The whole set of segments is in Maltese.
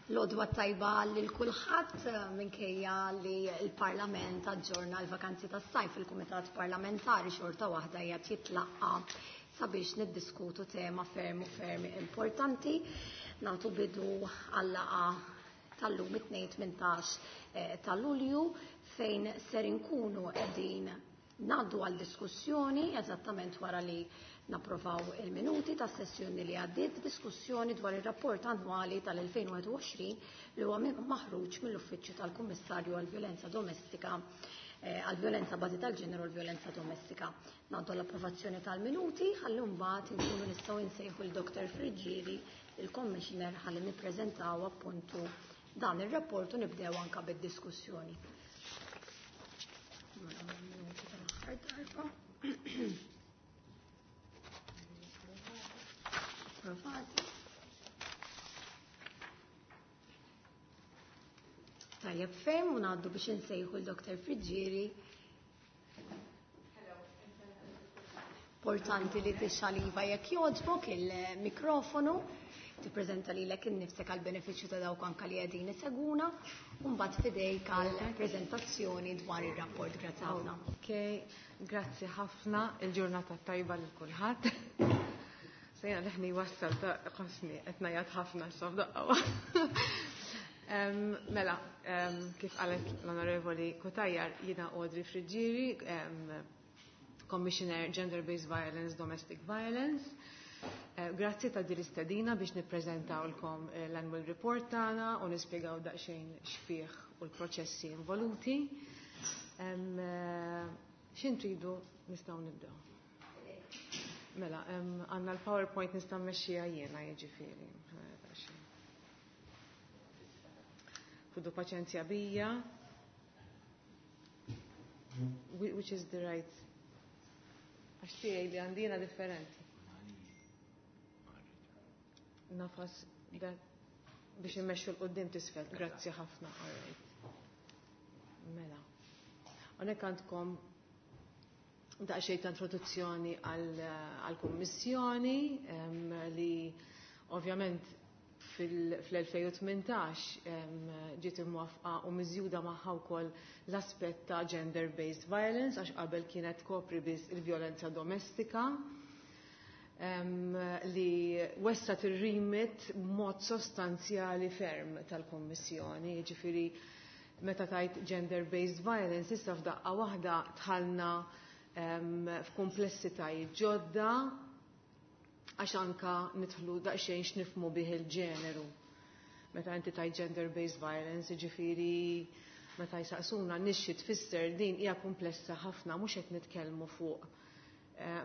L-għodwa tajba lil kulħadd minkejja li l-Parlament aġġorna l-vakanzi tas-sajf, il-Kumitat Parlamentari xorta waħda qiegħed jitlaqqa sabiex niddiskutu tema ferm u ferm importanti. Nagħtu bidu għal-laqgħa tal-lum it-Tnejn 18 ta' Lulju fejn ser inkunu qegħdin ngħaddu għal diskussjoni eżattament wara li napprovaw il-minuti tas sessjoni li għaddiet, diskussjoni dwar ir-rapport annwali tal-2021 li huwa maħruġ mill-Uffiċċju tal-Kummissarju għall-Vjolenza Domestika, għall-Vjolenza Bażi tal-Ġeneru u l-Vjolenza Domestika. Ngħaddu l-approvazzjoni tal-minuti ħalli mbagħad inkunu nistgħu nsejħu l Dr. Friggieri, il-Commissioner, ħalli nippreżentaw appuntu dan ir-rapport u nibdew anka bid-diskussjoni. Approvati. Tajjeb ferm u ngħaddu biex insejħu l-Dr. Friggieri. Importanti li tixxaliva jekk jogħġbok il-mikrofonu, tippreżenta lilek innifsek għal benefiċċju ta' dawk anka li qegħdin isegwuna, u mbagħad fidejk għal preżentazzjoni dwar ir-rapport. Grazzi ħafna. Ok, grazzi ħafna, il-ġurnata tajba lil kulħadd. Sejna leħni wassal ta' qosni qed ngħajjat ħafna issa f'daqqa. Mela, kif qalet l-Onorevoli Cutajar, jiena Audrey Friggieri, Commissioner Gender-Based Violence, Domestic Violence. Grazzi ta' din l-istedina biex nippreżentawlkom l-annual report tagħna u nispjegaw daqsxejn x'fih u l-proċessi involuti. X'in tridu nistgħu nibdew? Mela, għandna l-PowerPoint nista' mmexxiha jiena, jiġifieri. Ħudu paċenzja bija. Which is the right? Għax tiegħi li għandina differenti. Nafas da biex immexxu l-qoddim tisfel. Grazzi ħafna. All right. Mela. Hawnhekk għandkom daqsxejn ta' introduzzjoni għall-Kummissjoni li ovvjament fl-2018 ġiet imwafqa u miżjuda magħha wkoll l-aspett ta' gender-based violence għax qabel kienet kopri biss il-vjolenza domestika, li wessat ir-remit b'mod sostanzjali ferm tal-Kummissjoni, jiġifieri meta tajt gender-based violence issa f'daqqa waħda tħallna f'komplessitajiet ġodda għax anka nidħlu daqsxejn x'nifhmu bih il-ġeneru. Meta inti tajt gender-based violence, jiġifieri meta jsaqsuna nixxi tfisser din hija komplessa ħafna, mhux qed nitkellmu fuq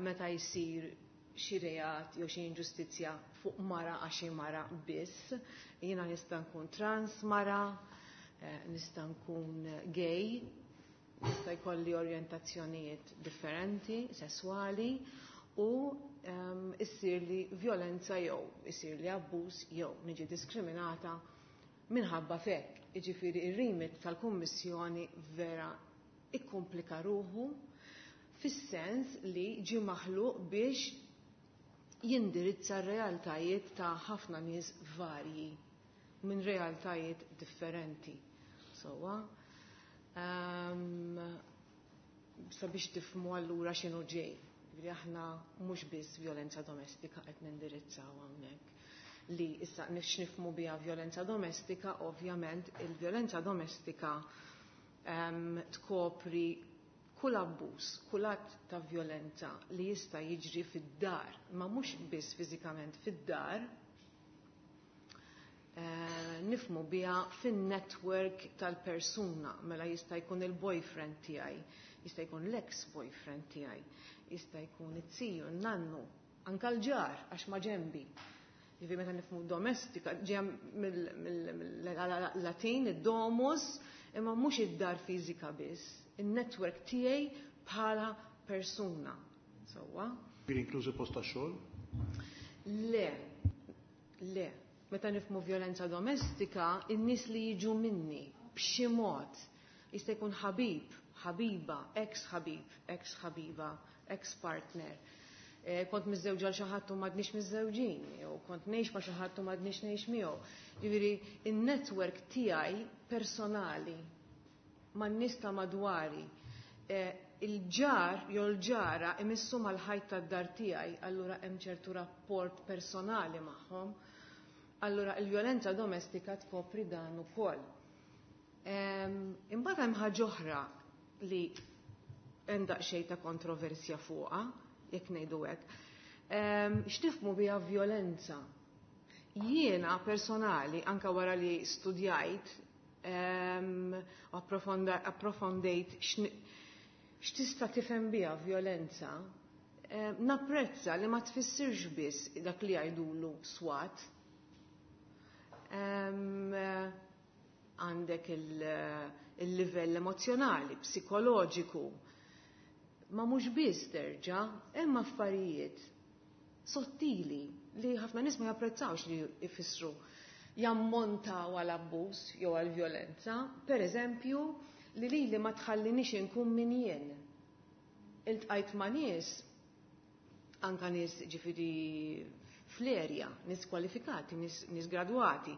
meta jsir xi reat jew xi inġustizzja fuq mara għax xi mara biss. Jiena nista' nkun trans mara, nista' nkun gay, nista' jkolli orjentazzjonijiet differenti, sesswali, u issir li violenza jew issir li abbuż jew niġi diskriminata minħabba fek. Jiġifieri ir-remit tal-Kummissjoni vera ikkomplika ruħu fis-sens li ġie maħluq biex jindirizza r-realtajiet ta' ħafna nies varji minn realtajiet differenti. Sowa, sabiex tifhmu allura x'inhu ġej. Ġifieri aħna mhux biss violenza domestika qed nindirizzaw hawnhekk. Li issa nifhmu biha violenza domestika, ovvjament il-violenza domestika tkopri kull abbuż, kull att ta' violenza li jista' jiġri fid-dar, ma mhux biss fiżikament fid-dar, nifhmu biha fin-network tal-persuna, mela jista' jkun il-boyfriend tiegħi, jista' jkun l-ex-boyfriend tiegħi, jista' jkun it-tiju, n-nannu, anka l-ġar għax ma ġembi. Jiġifieri meta nifhmu domestika, ġejja mill-Latin, id-domus, imma mhux id-dar fiżika biss, in-network tiegħi bħala persuna. Sewwa. Ġifieri inklużi post tax-xogħol? Le, le. Meta nifhmu violenza domestika, in-nies li jiġu minni b'xi mod jista' jkun ħabib, ħabiba, ex-ħabib, ex-ħabiba, ex-partner. Kont miżżewġa għal xi ħadd u m'għadniex miżżewġin, jew kont ngħix ma' xi ħadd u m'għadniex ngħix miegħu. Jiġifieri in-network tiegħi personali man-nies ta' madwari, il-ġar jew l-ġara imissu mal-ħajt tad-dar tiegħi, allura hemm ċertu rapport personali magħhom. Allura il-vjolenza domestika tkopri dan ukoll. Imbagħad hemm ħaġa oħra li hemm daqsxejn ta' kontroversja fuqha, jekk ngħidu hekk. X'tifhmu biha vjolenza? Jiena personali, anka wara li studjajt, approfondejt x'tista' tifhem biha vjolenza, napprezza li ma tfissirx biss dak li jgħidulu swat. Għandek il-livell emozjonali, psikoloġiku. Ma mhux biss terġa', hemm affarijiet sottili li ħafna nies ma japprezzawx li jfissru jammontaw għal abbuż jew għal vjolenza. Per eżempju, li lili ma tħallinix inkun min jien. Iltqajt ma' nies, anka nies ġifieri fl-erja, nies kwalifikati, nies gradwati,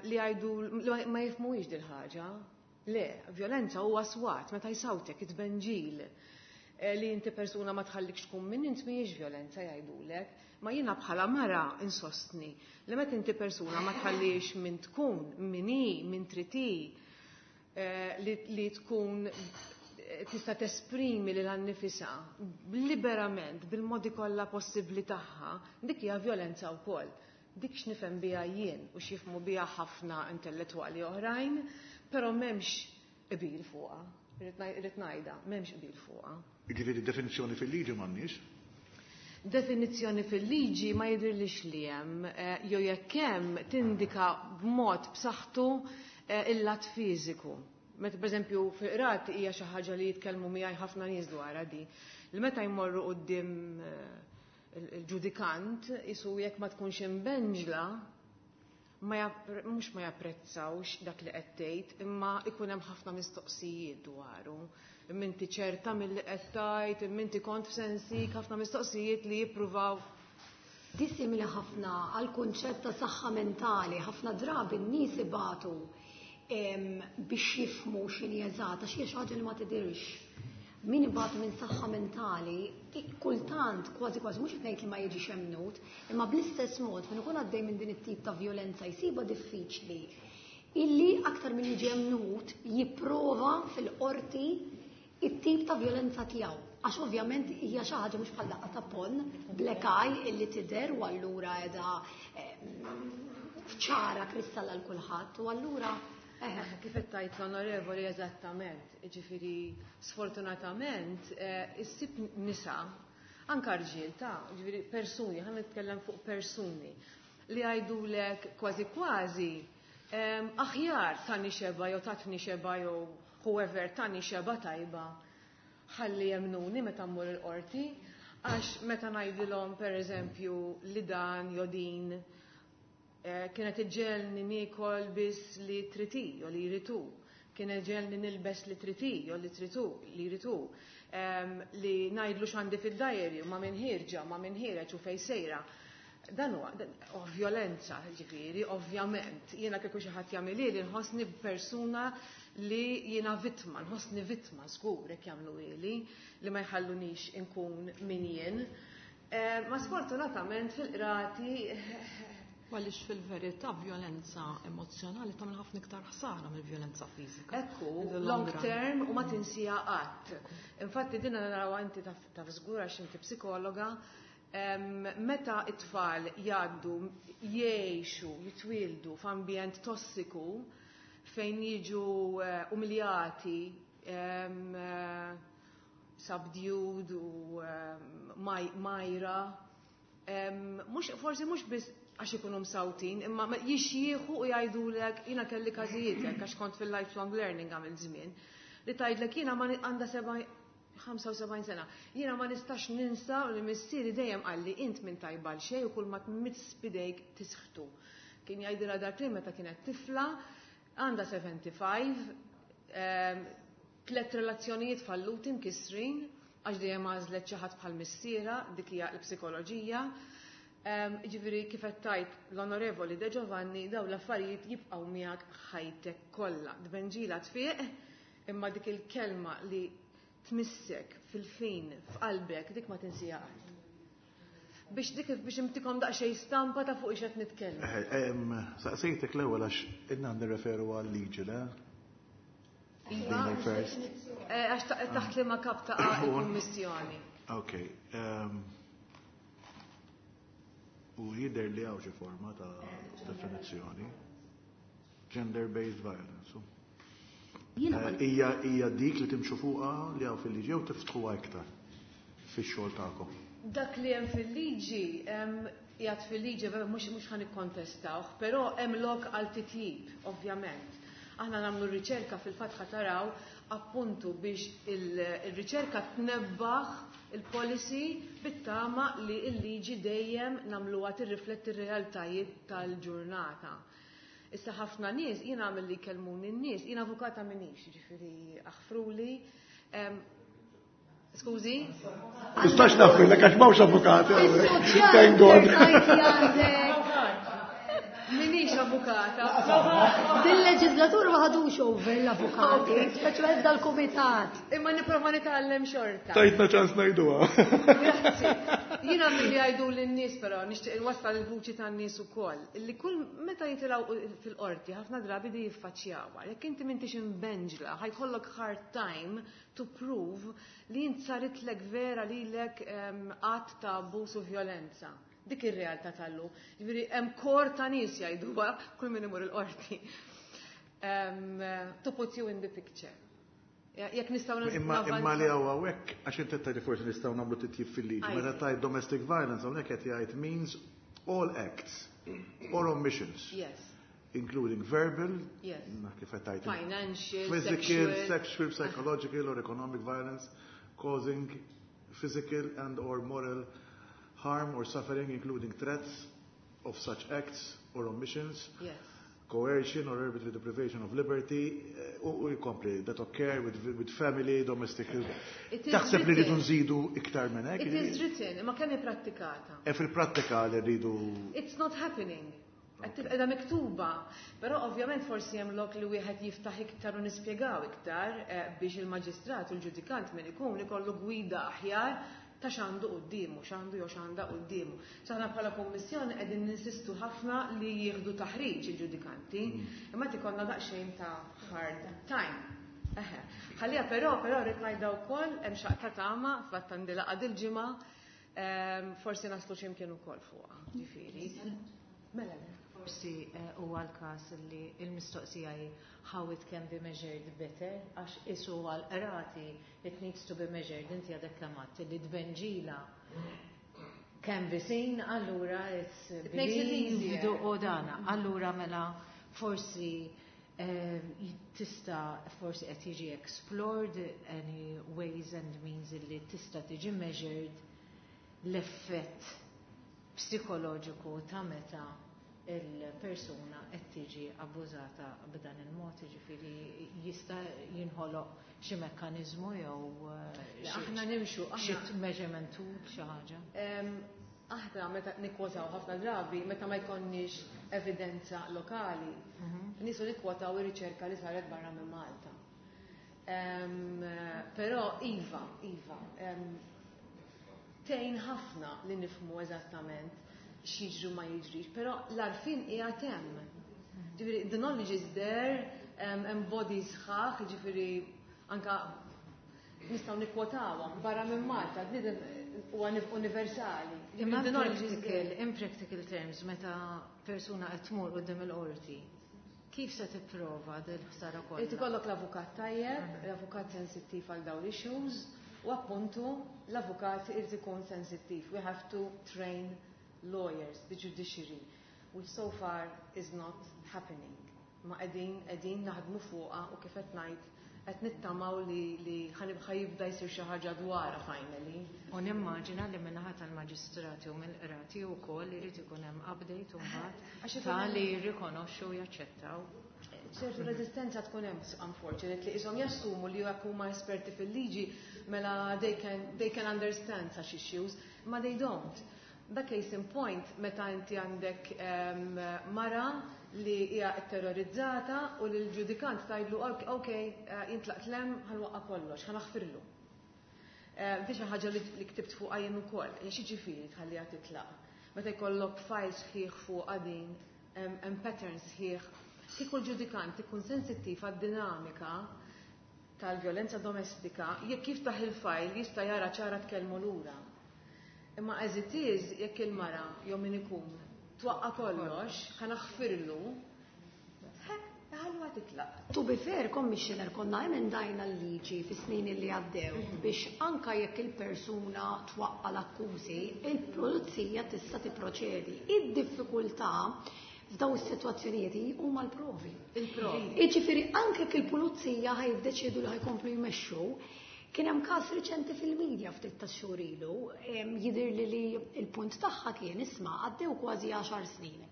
li jgħidu li ma jifhmuhiex dil-ħaġa. Le, vjolenza huwa swat, meta jsawtek it-tbenġil. Li inti persuna ma tħallikx tkun min int mhijiex vjolenza jgħidulek. Ma jiena bħala mara insostni li meta inti persuna ma tħallix min tkun, min hi, min trid hi, li tkun tista' tesprimi lil annifisha liberament bil-modi kollha possibbli tagħha, dik hija vjolenza wkoll. Dik x'nifhem biha jien u x'jifhmu biha ħafna intellettwali oħrajn, però m'hemmx qbil fuqha. Irrid ngħidha, m'hemmx qbil fuqha. Jiġifieri definizzjoni fil-liġi m'għandniex? Definizzjoni fil-liġi ma jidhirlix li hemm, jew jekk hemm tindika b'mod b'saħħtu il-lat fiżiku. Meta pereżempju fil-qrati hija xi ħaġa li jitkellmu miegħi ħafna nies dwarha di. Li meta jmorru quddiem il-ġudikant, isu jekk ma tkunx imbenġla, mhux ma japprezzawx dak li qed tgħid, imma ikun hemm ħafna mistoqsijiet dwaru. Imma inti ċerta milli qed tgħid, imma inti kont f'sensik, ħafna mistoqsijiet li jippruvaw. Di simili ħafna għal kunċett ta' saħħa mentali, ħafna drabi n-nies ibatu biex jifhmu x'inhi eżatt, għax hija xi ħaġa li ma tidhirx. Min ibatu minn saħħa mentali, kultant kważi kważi mhux qed ngħid li ma jiġix emnut, imma bl-istess mod min ikun għaddej minn din it-tip ta' vjolenza jsibha diffiċli illi aktar minn jiġi emnut jipprova fil-qorti it-tip ta' vjolenza tiegħu. Għax ovvjament hija xi ħaġa mhux bħal daqqa ta' pon, black eye illi tidher u allura qiegħda ċara kristalla l kulħadd u allura Kif qed tgħid l-onorevoli eżattament, jiġifieri sfortunatament issib nisa, anka rġiel ta' jiġifieri persuni, ħa nitkellem fuq persuni li jgħidulek kważi kważi aħjar tani xeba jew tatni xeba jew whoever tani xeba tajba ħalli jemnuni meta mmur il-qorti, għax meta ngħidilhom pereżempju li dan jew din kienet iġġelni niekol biss li triti jew li jritu, kienet iġġelni nilbes li triti jew li tritu li jritu, li ngħidlu x'għandi fid-diary ma' min ħierġa, ma' min ħiereġ u fejn sejra. Dan huwa vjolenza, ġifieri, ovvjament. Jiena kieku xi ħadd jagħmilhi li nħossni persuna li jiena vittma, nħossni vittma żgur jekk jagħmlu ili li ma jħallunix inkun min jien. Ma sfortunatament fil-qrati Għaliex fil-verità vjolenza emozjonali tagħmel ħafna iktar ħsara mill-vjolenza fiżika. Ekku, In the long long run. term u ma tinsija qatt. Infatti din naraw inti taf żgur għax inti psikologa, meta it-tfal jgħaddu jgħixu, jitwieldu f'ambjent tossiku fejn jiġu umiljati, subdued u majra, mhux, forsi mhux biss għax ikunu msawtin, imma jixjieħu u jgħidulek, jiena kelli każijiet hekk għax kont fil-lifelong learning għamil żmien, li tgħidlek jiena ma għandha 75 sena, jiena ma nistax ninsa li missieri dejjem qalli int minn tajba għal xejn u kull ma tmiss bidejk tisħtu. Kien jgħidilha dak li meta kienet tifla, għandha 75, 3 relazzjonijiet falluti mkissrin, Għax dejjem għażlet xi ħadd bħal missiera, dik hija l-psikoloġija. Ġifieri kif qed tgħid l-Onorevoli De Giovanni, dawn l-affarijiet jibqgħu miegħek ħajtek kollha. Tbenġila tfiq, imma dik il-kelma li tmissek fil-fin f'qalbek, dik ma tinsija qatt. Biex dik biex intikom daqsxejn stampa ta' fuq x'qed nitkellem. Saqsejtek l-ewwel għax inna nirreferu għal liġi, le? Iva, First. Għax taħt li ma kap ta' il-kummissjoni. Ok. U jidher li hawn xi forma ta' definizzjoni. Gender-based violence. Hija dik li timxu fuqha li hawn fil-liġi jew tiftħuha iktar fix-xogħol tagħkom? Dak li hemm fil-liġi, qiegħed fil-liġi, mhux ħa nikkontestawh, però hemm lok għal titjib, ovvjament. Aħna nagħmlu r-riċerka, fil-fatt ħa taraw appuntu biex il-riċerka tnebbaħ il-policy bit-tama li l-liġi dejjem nagħmluha tirrifletti r-realtajiet tal-ġurnata. Issa ħafna nies, jiena għamil li kelmuni n-nies, jiena avukata minix, ġifieri aħfruli. Skużi? Tistax nafri, għax m'hawnx avukati. Thank God. Minix avukata. Dil-leġislatur ma ħadux over l-avukati, speċjalment dal-kumitat. Imma nipprova nitgħallem xorta. Tajtna ċans ngħiduha. Grazzi. Jiena milli jgħidu lin-nies, però nixtieq inwassal il-vuċi tan-nies ukoll. Illi kull meta jitilgħu fil-qorti, ħafna drabi di jiffaċċjawha. Jekk inti m'intix imbenġla, ħa jkollok hard time to prove li int saritlek vera lilek att ta' abbuż u violenza. Dik ir-realtà tal-lum. Ġifieri hemm kor ta' nies jgħiduha kull min imur il-qorti. To put you in the picture. Jekk nistgħu Imma li hawn hawnhekk, għax inti tgħid forsi nistgħu nagħmlu titjib fil-liġi. Meta tgħid domestic violence, hawnhekk qed jgħid means all acts or omissions. Including verbal, kif qed tgħid, financial, physical, sexual, sexual, psychological or economic violence causing physical and or moral harm or suffering, including threats of such acts or omissions, coercion or arbitrary deprivation of liberty, u jkompli, that occur with family, domestic. It is Taħseb li rridu written. nżidu iktar minn hekk? It is written, imma kemm ipprattikata? E fil-prattika li rridu. It's not happening. Qed tibqa' miktuba, però ovvjament forsi hemm lok li wieħed jiftaħ iktar u nispjegaw iktar biex il-maġistrat u l-ġudikant min ikun ikollu gwida aħjar ta' x'għandu quddiemu, x'għandu jew x'għandha quddiemu. Aħna bħala kummissjoni qegħdin ninsistu ħafna li jieħdu taħriġ il-ġudikanti, imma ikollna daqsxejn ta' hard time. Eħe. Ħalija però rrid ngħidha wkoll hemm xaqta tama, fatt għandi laqgħa dil-ġimgħa, forsi naslu x'imkien ukoll fuqha, ġifieri. Mela le. Forsi huwa l-każ li l-mistoqsija hi how it can be measured better, għax isu għal-qrati it needs to be measured, inti għadek kemm għedt li tbenġila can be seen, allura it's It makes it believed easier. u dana. Allura mela forsi tista' forsi qed jiġi explored any ways and means li tista' tiġi measured l-effett psikoloġiku ta' meta il-persuna qed tiġi abbużata b'dan il-mod, jiġifieri jista' jinħoloq xi mekkaniżmu jew Le, aħna nimxu, xi measurement tool, xi ħaġa. Aħna meta nikkwotaw ħafna drabi, meta ma jkollniex evidenza lokali, nisu nikkwotaw ir-riċerka li saret barra minn Malta. Però iva, iva, tgħin ħafna li nifhmu eżattament x'jiġri ma jiġrix, però l-għarfien qiegħed hemm. Ġifieri the knowledge is there, hemm bodies sħaħ, ġifieri anka nistgħu nikkwotawhom barra minn Malta, bniedem huwa universali. Imma The knowledge is there. in practical terms, meta persuna qed tmur quddiem il-qorti, kif se tipprova dil-ħsara kollha? Irid ikollok l-avukat tajjeb, l-avukat sensittiv għal dawn issues, u appuntu l-avukat irid ikun sensittiv. We have to train lawyers, the judiciary, which so far is not happening. Ma qegħdin naħdmu fuqha u kif qed ngħid Qed nittamaw li ħa jibda jsir xi ħaġa dwarha finally. U nimmaġina li min-naħa tal-maġistrati u mill-qrati wkoll irid ikun hemm update mbagħad ta' li jirrikonoxxu u jaċċettaw. Ċertu reżistenza tkun hemm, unfortunately, ishom jassumu li jekk huma esperti fil-liġi mela they can understand such issues, ma they don't. Da case in point meta inti għandek mara li hija terrorizzata u li l-ġudikant tgħidlu, "Ok, intlaqt 'l hemm, ħa nwaqqa' kollox, ħa naħfirlu." Di xi ħaġa li ktibt fuq jien ukoll, x'jiġifieri tħalliha titlaq? Meta jkollok files sħiħ fuq din, hemm patterns sħiħ, kieku l-ġudikant ikun sensittiv għad-dinamika tal-vjolenza domestika, jekk jiftaħ il-file jista' jara ċara tkellmu lura. Imma as it is, jekk il-mara jew min ikun twaqqa kollox, ħa naħfirlu, ħalluha titlaq. To be fair, Commissioner, konna emendajna l-liġi fi snin li għaddew biex anka jekk il-persuna twaqqa l-akkużi, il-pulizija tista' tipproċedi. Id-diffikultà f'daw is-sitwazzjonijiet huma l-provi. Il-provi. Jiġifieri anke jekk il-pulizija ħa jiddeċiedu li ħa jkomplu jmexxu, kien hemm każ riċenti fil-medja ftit ta' xhur ilu, jidhir li l-punt tagħha kien, isma', għaddew kważi 10 snin.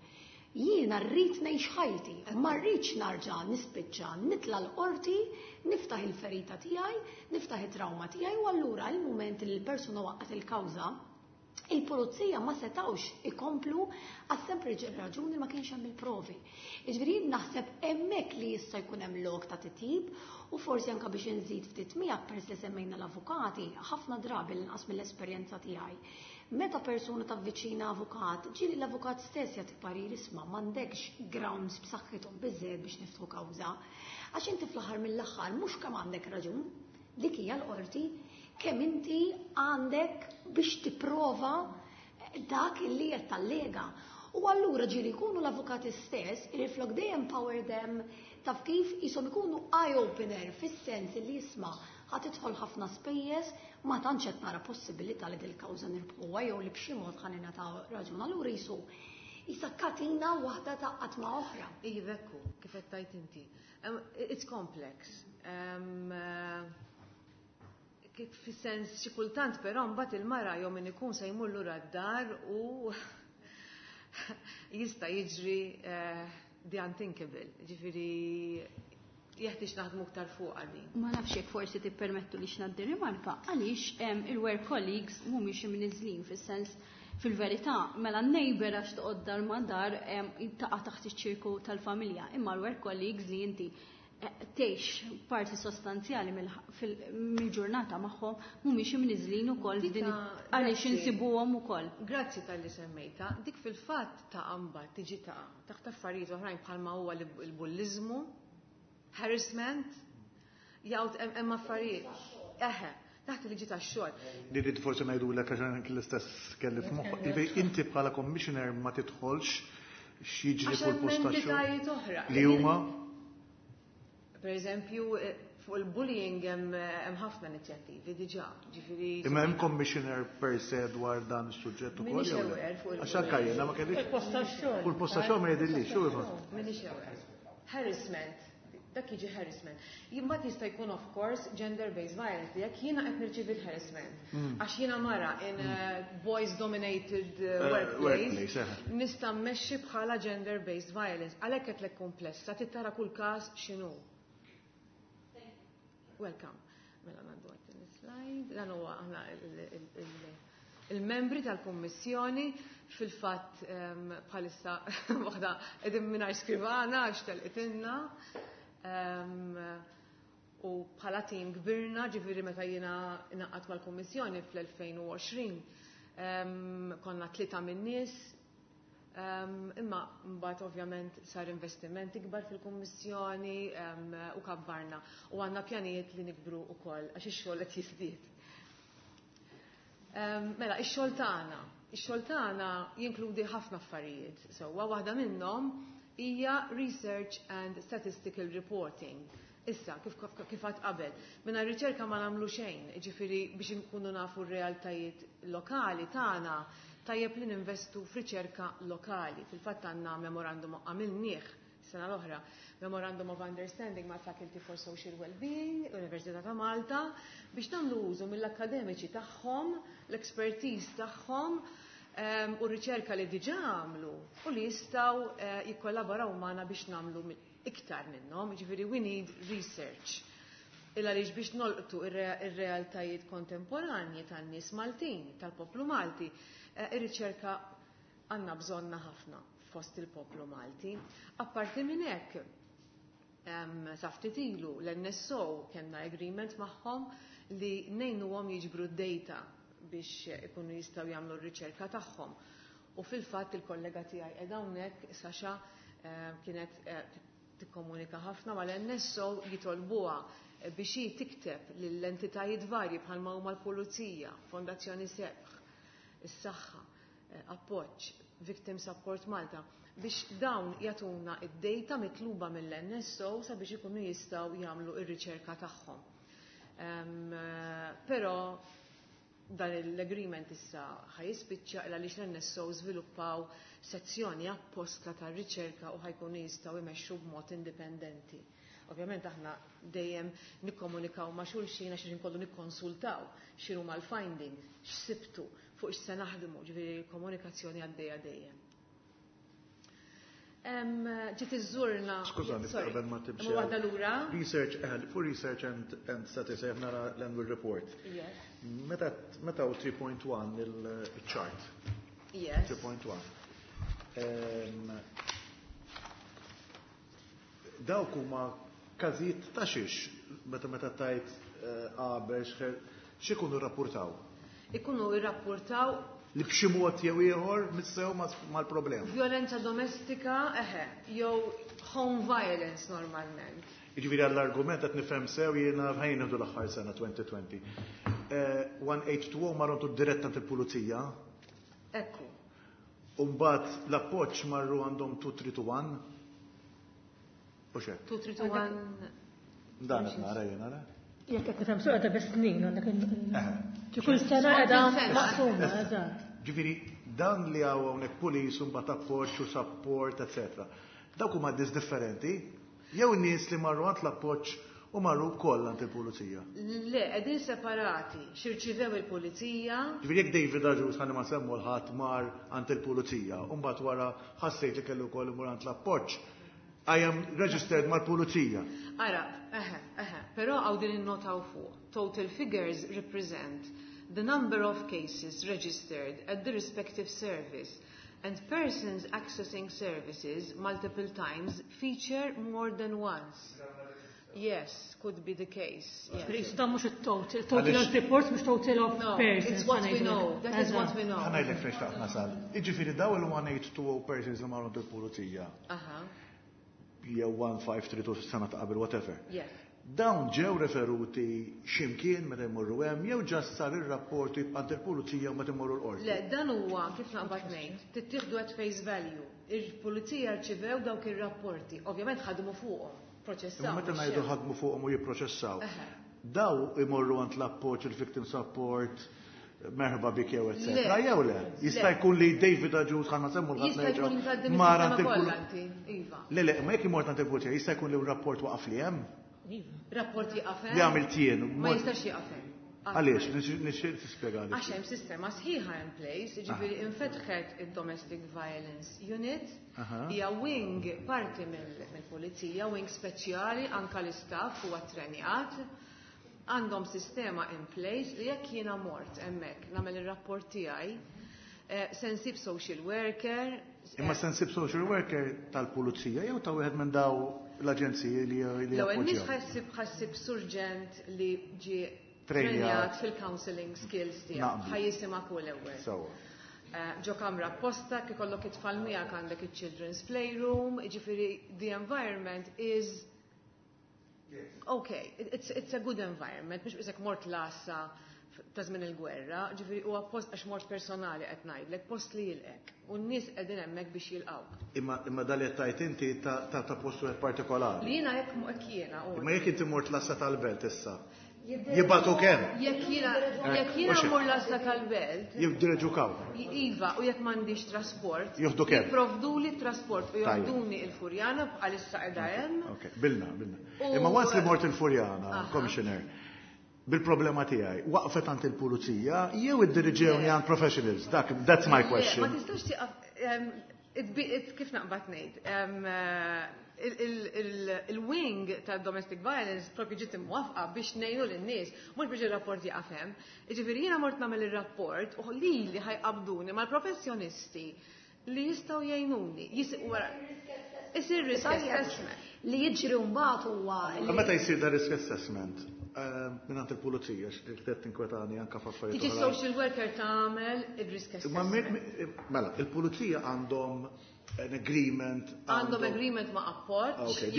Jiena rrid ngħix ħajti, ma rridx narġa' nispiċċa nitla' l-qorti, niftaħ il-ferita tiegħi, niftaħ it-trauma tiegħi. U allura il-mument li l-persuna waqqgħet il-kawża, il-pulizija ma setawx ikomplu għas sempliċi raġuni ma kienx hemm il-provi. Jiġifieri naħseb hemmhekk li jista' jkun hemm lok ta' titjib u forsi anke biex inżid ftit miegħek, peress li semmejna l-avukati, ħafna drabi, l-inqas mill-esperjenza tiegħi, meta persuna tavviċina avukat, ġieli l-avukat stess jagħti parir, "Isma', m'għandekx grounds b'saħħithom biżżejjed biex niftħu kawża." Għax inti fl-aħħar mill-aħħar mhux kemm għandek raġun, dik hija l-qorti, kemm inti għandek biex tipprova dak illi qed tallega. U allura ġieli jkunu l-avukati stess li flok they empower them, taf kif, jisom ikunu eye-opener fis-sens li, "Isma', ħa tidħol ħafna spejjeż, ma tantx qed nara possibilità li dil-kawża nirbħuha jew li b'xi mod ħa ningħataw raġun." Allura jisu jisa katina waħda taqgħod ma' oħra. Iva, ekku, kif qed tgħid inti. It's complex. Kif fis-sens xi kultant però mbagħad il-mara jew min ikun se jmur lura d-dar u jista' jiġri the unthinkable. Ġifieri jeħtieġ naħdmu aktar fuq din. Ma nafx jekk forsi tippermettu li ngħaddi rimarka għaliex il-work colleagues mhumiex imniżlin, fis-sens fil-verità mela n-neighbor, għax toqgħod dar ma dar, taqa' taħt iċ-ċirku tal-familja, imma l-work colleagues li inti tgħix parti sostanzjali mill-ġurnata magħhom mhumiex imniżlin ukoll f'din, għaliex insibuhom ukoll? Grazzi talli semmejta. Dik fil-fatt ta' mbagħad tiġi taqa' taħt affarijiet oħrajn bħalma huwa l-bulliżmu, harassment, jgħid hemm affarijiet. Eħe, taħt il-liġi tax-xogħol. Li rrid forsi ngħidulek, għax anke l-istess kelli f'moħħ. Inti bħala commissioner ma tidħolx x'jiġri Għax fuq hemm il-post tax-xogħol. entitajiet oħra. Li huma? Per eżempju, fuq il-bullying hemm ħafna inizjattivi diġà, ġifieri. Imma hemm commissioner per se dwar dan is-suġġett ukoll, Minix jew le? aware fuq Għax anke jiena ma kellix. Il-post tax-xogħol. Fuq il-post tax-xogħol ma jidhirlix, xu iva. Minix aware. Harassment. Dak jiġi harassment. Imbagħad jista' jkun, of course, gender-based violence li jekk jiena qed nirċievi l-harassment. Għax jiena mara in a boys dominated workplace, workplace, eh. nista' mmexxi bħala gender-based violence. Għalhekk qed lek komplessa, tittara kull każ x'inhu. Welcome. Mela ngħaddu għat-tieni slide. Dan huwa aħna il-membri tal-Kummissjoni. Fil-fatt bħalissa waħda qegħdin mingħajr skrivana għax telqitilna. U bħala tim kbirna, ġifieri meta jiena ngħaqadt mal-Kummissjoni fl-2020 konna tlieta min-nies. Imma mbagħad ovvjament sar investiment ikbar fil-Kummissjoni u kabbarna u għandna pjanijiet li nikbru wkoll għax ix-xogħol qed jiżdied. Mela, ix-xogħol tagħna. Ix-xogħol tagħna jinkludi ħafna affarijiet. Sewwa, waħda minnhom hija research and statistical reporting. Issa, kif għedt qabel, minna riċerka ma nagħmlu xejn, ġifieri biex nkunu nafu r-realtajiet lokali tagħna, tajjeb li ninvestu f'riċerka lokali. Fil-fatt għandna memorandum għamilnieh sena l-oħra Memorandum of Understanding ma' Faculty for Social Wellbeing, Università ta' Malta, biex nagħmlu użu mill-akkademiċi tagħhom, l-expertise tagħhom u r-riċerka li diġà għamlu u li jistgħu jikkollaboraw magħna biex nagħmlu iktar minnhom, jiġifieri we need research. Il għaliex biex nolqtu ir-realtajiet kontemporanji tan-nies Maltin, tal-poplu Malti, ir-riċerka għandna bżonna ħafna fost il-poplu Malti. Apparti minn hekk, sa ftit ilu l-NSO kellna agreement magħhom li ngħinuhom jiġbru d-data biex ikunu jistgħu jagħmlu r-riċerka tagħhom. U fil-fatt il-kollega tiegħi qiegħda hawnhekk, Sasha, kienet tikkomunika ħafna mal-NSO jitolbuha biex hi tikteb lill-entitajiet varji bħalma huma l-Pulizija, Fondazzjoni Sebħ, is-Saħħa, Appoġġ, Victim Support Malta, biex dawn jagħtuna id-data mitluba mill-NSO sabiex ikunu jistgħu jagħmlu r-riċerka tagħhom. Però dan l-agreement issa ħa jispiċċa għaliex l-NSO żviluppaw sezzjoni apposta tar-riċerka u ħa jkunu jistgħu jmexxu b'mod indipendenti. Ovvjament aħna dejjem nikkomunikaw ma' xulxin għax inkollu nikkonsultaw x'inhuma l-findings, x'sibtu, fuq x'se naħdmu, ġifieri l-komunikazzjoni għaddejja dejjem. Ġiet iżżurna. Skużani, qabel ma timxi. Waħda lura. Research, for research and statistics, nara l-annual report. Yes. Meta u 3.1 il-chart. Yes. 3.1. Dawk huma każijiet ta' xiex meta tajt qabel x'ikunu rrapportaw? Ikunu rrapportaw li b'xi mod jew ieħor missew mal-problema. Violenza domestika, eħe, jew home violence normalment. Jiġifieri għall-argument qed nifhem sew jiena ħajn nieħdu l-aħħar sena 2020. 1820 marru dirett għand il-pulizija. Ekku. U mbagħad l-appoġġ marru għandhom 2321. U xek? 2321. Dan qed nara jien ara. Jekk qed nifhem sew qiegħda bis-snin għandek kull sena qiegħda maqsuma, eżatt. Ġifieri dan li hawn hawnhekk police u mbagħad appoġġ u support, eċetera. Dawk huma nies differenti, jew nies li marru għand l-appoġġ u marru wkoll għand il-pulizija. Le, qegħdin separati, x'irċivew il-pulizija. Ġifieri jekk David Agius ħalli ma semmu l-ħadd mar għand il-pulizija, u mbagħad wara ħassejt li kellu wkoll imur għand l-appoġġ, I am registered mal-pulizija. Ara, eħe, eħe, però għaw din innotaw fuq. Total figures represent the number of cases registered at the respective service and persons accessing services multiple times feature more than once. Yes, could be the case. Yes. Qisu dan mhux it-total, total of reports mhux total of No, persons. it's what we know. That is what we know. Ħa ngħidlek fejn xtaqt nasal. Jiġifieri daw il-1820 persons li marru il-pulizija. Jew 1532 sena ta' qabel, whatever. Yes. Dawn ġew referuti x'imkien meta jmorru hemm jew ġast sar ir-rapport għand il-pulizija u meta jmorru l-qorti. Le, dan huwa kif naqbad ngħid, tittieħdu at face value. Il-pulizija rċivew dawk ir-rapporti, ovvjament ħadmu fuqhom, proċessaw. Imma meta ngħidu ħadmu fuqhom u jipproċessaw. Daw imorru għand l-appoġġ, il-victim support, merħba bik jew eccetera. Le. Jew le? Jista' Le. jkun li David Agius ħanna semmu l-ħadd Jista' jkun nerġgħu tgħaddi mar mis-sistema għand il-pul- kollha inti, iva. Le, le, ma jekk imort għand il-pulizija, jista' jkun li rapport waqaf li hemm? Rapport jieqaf hemm? Li għamilt jien, Ma mod- jistax jieqaf hemm. Għaliex, nixtieq tispjega għaliex. Għax hemm sistema sħiħa in place, jiġifieri infetħet id-Domestic Violence Unit, hija wing parti mill-pulizija, wing speċjali, anka l-istaff huwa trenjat. Għandhom sistema in place li jekk jiena mort hemmhekk nagħmel ir-rapport tiegħi, se nsib social worker. Imma se nsib social worker tal-pulizija jew ta' wieħed minn daw l-aġenziji li L-ewwel nies jappoġġjaw? ħassib surġent li ġie Trenjat. trenjat fil-counseling skills tiegħu. Naqblu. Ħa jisimak hu l-ewwel. Sewwa. Ġo kamra apposta, kif ikollok it-tfal miegħek għandek il-children's playroom, jiġifieri the environment is okay, it's a good environment, mhux bisek mort l-għassa ta' żmien il-gwerra, ġifieri huwa post għax mort personali qed ngħidlek, post li jilqek. U n-nies qegħdin hemmhekk biex jilqgħuk. Imma dal qed tajt inti ta' post wieħed partikolari. Li jiena hekk hekk jiena, u Imma jekk inti mort l-għassa tal-belt issa. Jibagħtu kemm? Jekk jiena jekk jiena mmur l-għassa tal-belt. Jiddireġukaw. Iva, u jekk m'għandix trasport. Jieħdu kemm? Jipprovduli t-trasport u joħduni il-Furjana bħalissa qiegħda hemm. Ok, bilna, bilna. Imma once li mort il-Furjana, Commissioner, bil-problema tiegħi, waqfet għand il-pulizija jew iddiriġewni għand professionals? Dak, that's my question. Ma tistax tieqaf, kif naqbad ngħid, il-wing ta' domestic violence propju ġiet imwaffqa biex ngħinu lin-nies, mhux biex ir-rapport jieqaf hemm. Jiġifieri jiena mort nagħmel ir-rapport u lili ħa jqabbduni mal-professjonisti li jistgħu jgħinuni. Isir risk assessment. Li jiġri mbagħad huwa. Meta jsir da risk assessment, mingħand il-pulizija, x'qed tinkwetani anke f'affarijiet. Tiġi social worker tagħmel il-risk assessment. Mela, il-pulizija għandhom an agreement. Għandhom agreement ma' Appoġġ,